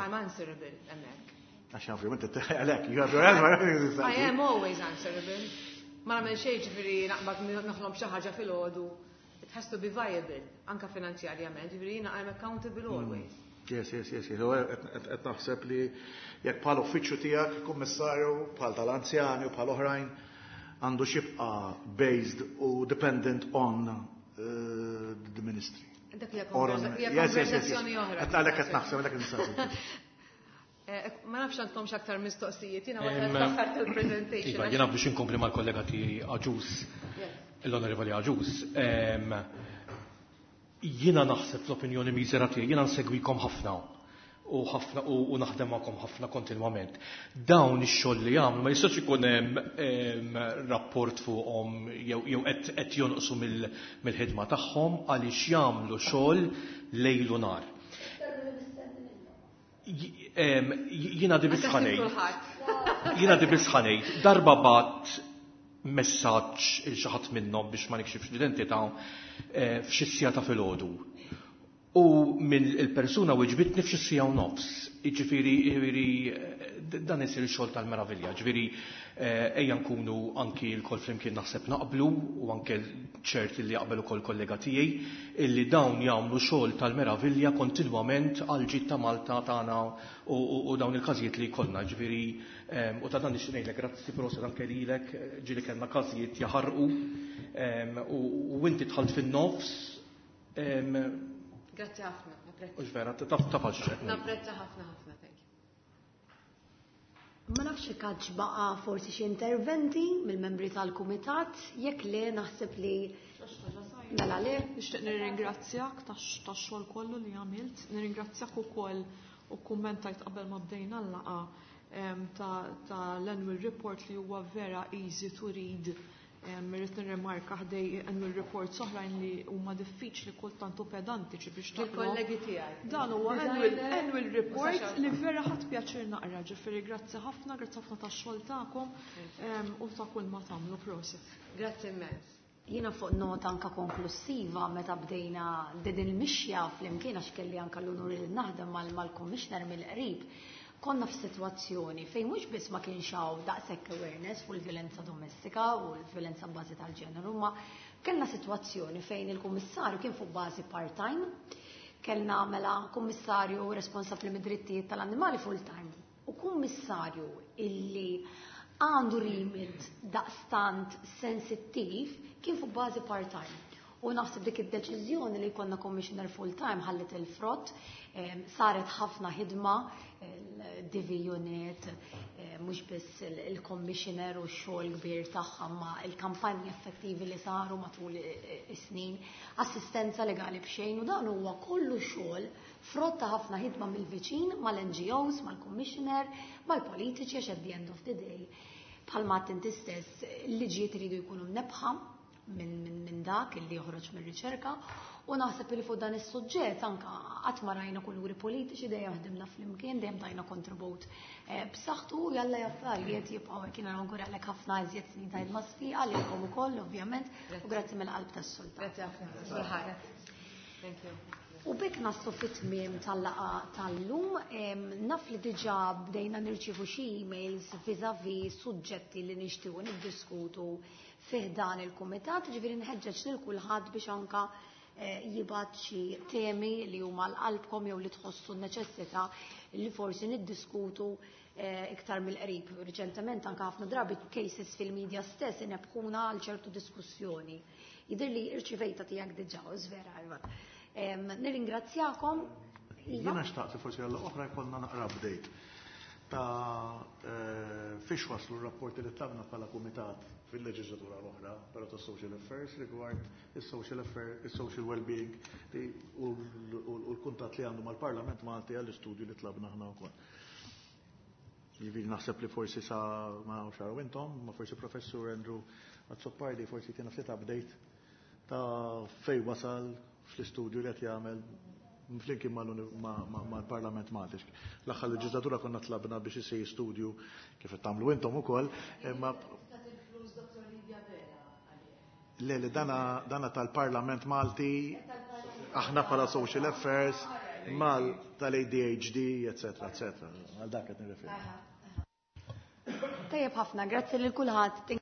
I'm answerable hemmhekk. Għax ovvjament għalhekk, you have your answer. I am always answerable. Ma nagħmel xejn ġifieri naqbad noħlom xi ħaġa filgħodu. It has to be viable, anka finanzjarjament, ġifieri jiena I'm accountable always. Yes, yes, yes, yes. Qed naħseb li jekk bħal uffiċċju tiegħek, kummissarju, bħal tal-anzjani u bħal oħrajn, għandu xibqa based u dependent on the ministry. Dak hija Or on hija Yes, yes, yes, yes. konversazzjoni oħra. Qed għalhekk qed naħseb, għalhekk nistaqsi. Ma nafx għandkom x'aktar mistoqsijiet, jiena wasalt l-aħħar tal-presentation. Iva, jiena biex inkompli mal-kollega tiegħi Agius, l-Onorevoli Agius, jiena naħseb fl-opinjoni miżera tiegħi, jiena nsegwikom ħafna u ħafna u naħdem magħkom ħafna kontinwament. Dawn ix-xogħol li jagħmlu ma jistax ikun hemm rapport fuqhom jew qed jonqsu mill-ħidma tagħhom għaliex jagħmlu xogħol lejl u nar. Jiena di biss Anke ħanejt. kulħadd. Jiena di biss ħanejt. Darba bat messaġġ il xi ħadd minnhom biex ma nikxifx l-identità f'xi sija ta' filgħodu. U mill il-persuna weġbitni f'xi sija u nofs. Jiġifieri dan isir xogħol tal-meravilja. Ġifieri ejja nkunu anki l-kol flimkien naħseb naqblu u anke ċert li jaqbel ukoll kollega tiegħi illi dawn jagħmlu xogħol tal-meravilja kontinwament għal ġid ta' Malta tagħna u dawn il-każijiet li jkollna. Ġifieri u ta' dan nixtieq ngħidlek grazzi proset anke lilek, ġieli kellna każijiet jaħarqu u inti dħalt fin-nofs. Grazzi ħafna, napprezza. Ux vera, taf għal xi qed ngħid. Napprezza ħafna ħafna, thank you. Ma nafx jekk għadx baqa' forsi xi interventi mill-membri tal-kumitat, jekk le naħseb li Mela le. Nixtieq nirringrazzjak tax-xogħol kollu li għamilt, nirringrazzjak ukoll u kummentajt qabel ma bdejna l-laqgħa ta' l-annual report li huwa vera easy to read. Irrid nirrimarka ħdej annual reports oħrajn li huma diffiċli kultant u pedantiċi biex taqra. Il-kollegi tiegħi. Dan huwa annual report li vera ħadt pjaċir naqra, ġifieri grazzi ħafna, grazzi ħafna tax-xogħol tagħkom u ta' kull ma tagħmlu, prosit. Grazzi immens. Jiena fuq nota anka konklusiva meta bdejna din il-mixja flimkien, għax kelli anka l-unur li naħdem mal-commissioner mill-qrib, konna f'sitwazzjoni fejn mhux biss ma kienx hawn daqshekk awareness fuq il-vjolenza domestika u l-vjolenza bbażi tal-ġeneru, ma kellna sitwazzjoni fejn il-kummissarju kien fuq bażi part-time, kellna mela kummissarju responsabbli mid-drittijiet tal-annimali full-time u kummissarju illi għandu remit daqstant sensittiv kien fuq bażi part-time. U naħseb dik id-deċiżjoni li jkollna commissioner full-time ħallit il-frott, saret ħafna ħidma, DV unit, mhux biss il-commissioner u x-xogħol kbir tagħha, ma il-kampanji effettivi li saru matul is-snin, assistenza legali b'xejn, u dan huwa kollu xogħol frott ta' ħafna ħidma mill-viċin, mal-NGOs, mal-commissioner, mal-politiċi, għax at the end of the day, bħalma inti stess, il-liġijiet iridu jkunu mnebbħa minn dak illi joħroġ mir-riċerka, u naħseb li fuq dan is-suġġett anka qatt ma rajna kuluri politiċi, dejjem ħdimna flimkien, dejjem tajna kontribut b'saħħtu, u jalla affarijiet jibqgħu hekk. Jiena nawguralek ħafna iżjed snin ta' ħidma sfiqa lilkom ukoll ovvjament, u grazzi mill-qalb tas-sultan. Grazzi ħafna. Thank you. U b'hekk naslu fit-tmiem tal-laqgħa tal-lum, naf li diġà bdejna nirċievu xi emails vis-à-vis suġġetti li nixtiequ niddiskutu fih dan il-kumitat, ġifieri nħeġġeġ lil kulħadd biex anka jibgħat xi temi li huma l-qalbkom jew li tħossu n-neċessità li forsi niddiskutu iktar mill-qrib. Riċentement anka ħafna drabi cases fil-media stess inebħuna għal ċertu diskussjoni. Jidher li irċivejta tiegħek diġà, u żvera, Iva. Nirringrazzjakom. Iva. Jiena xtaqt li forsi għall oħra jkollna naqra update ta' fiex waslu r-rapporti li tlabna bħala kumitat fil-leġislatura l-oħra, però ta' social affairs rigward il-social affairs, il-social well-being u l-kuntat li għandu mal-Parlament Malti għall-istudju li tlabna aħna wkoll. Jiġifieri naħseb li forsi sa ma nafx araw intom, ma forsi Professur Andrew Azzopardi forsi tina ftit update ta' fej wasal fl-istudju li qed jagħmel flimkien mal-Parlament Malti. L-aħħar leġislatura konna tlabna biex isir studju kif qed tagħmlu intom ukoll, imma le, li dana tal-Parlament Malti, aħna bħala Social Affairs, mal tal-ADHD, eccetera, eccetera. Għal dak qed nirreferi. Tajjeb ħafna, grazzi lil kulħadd.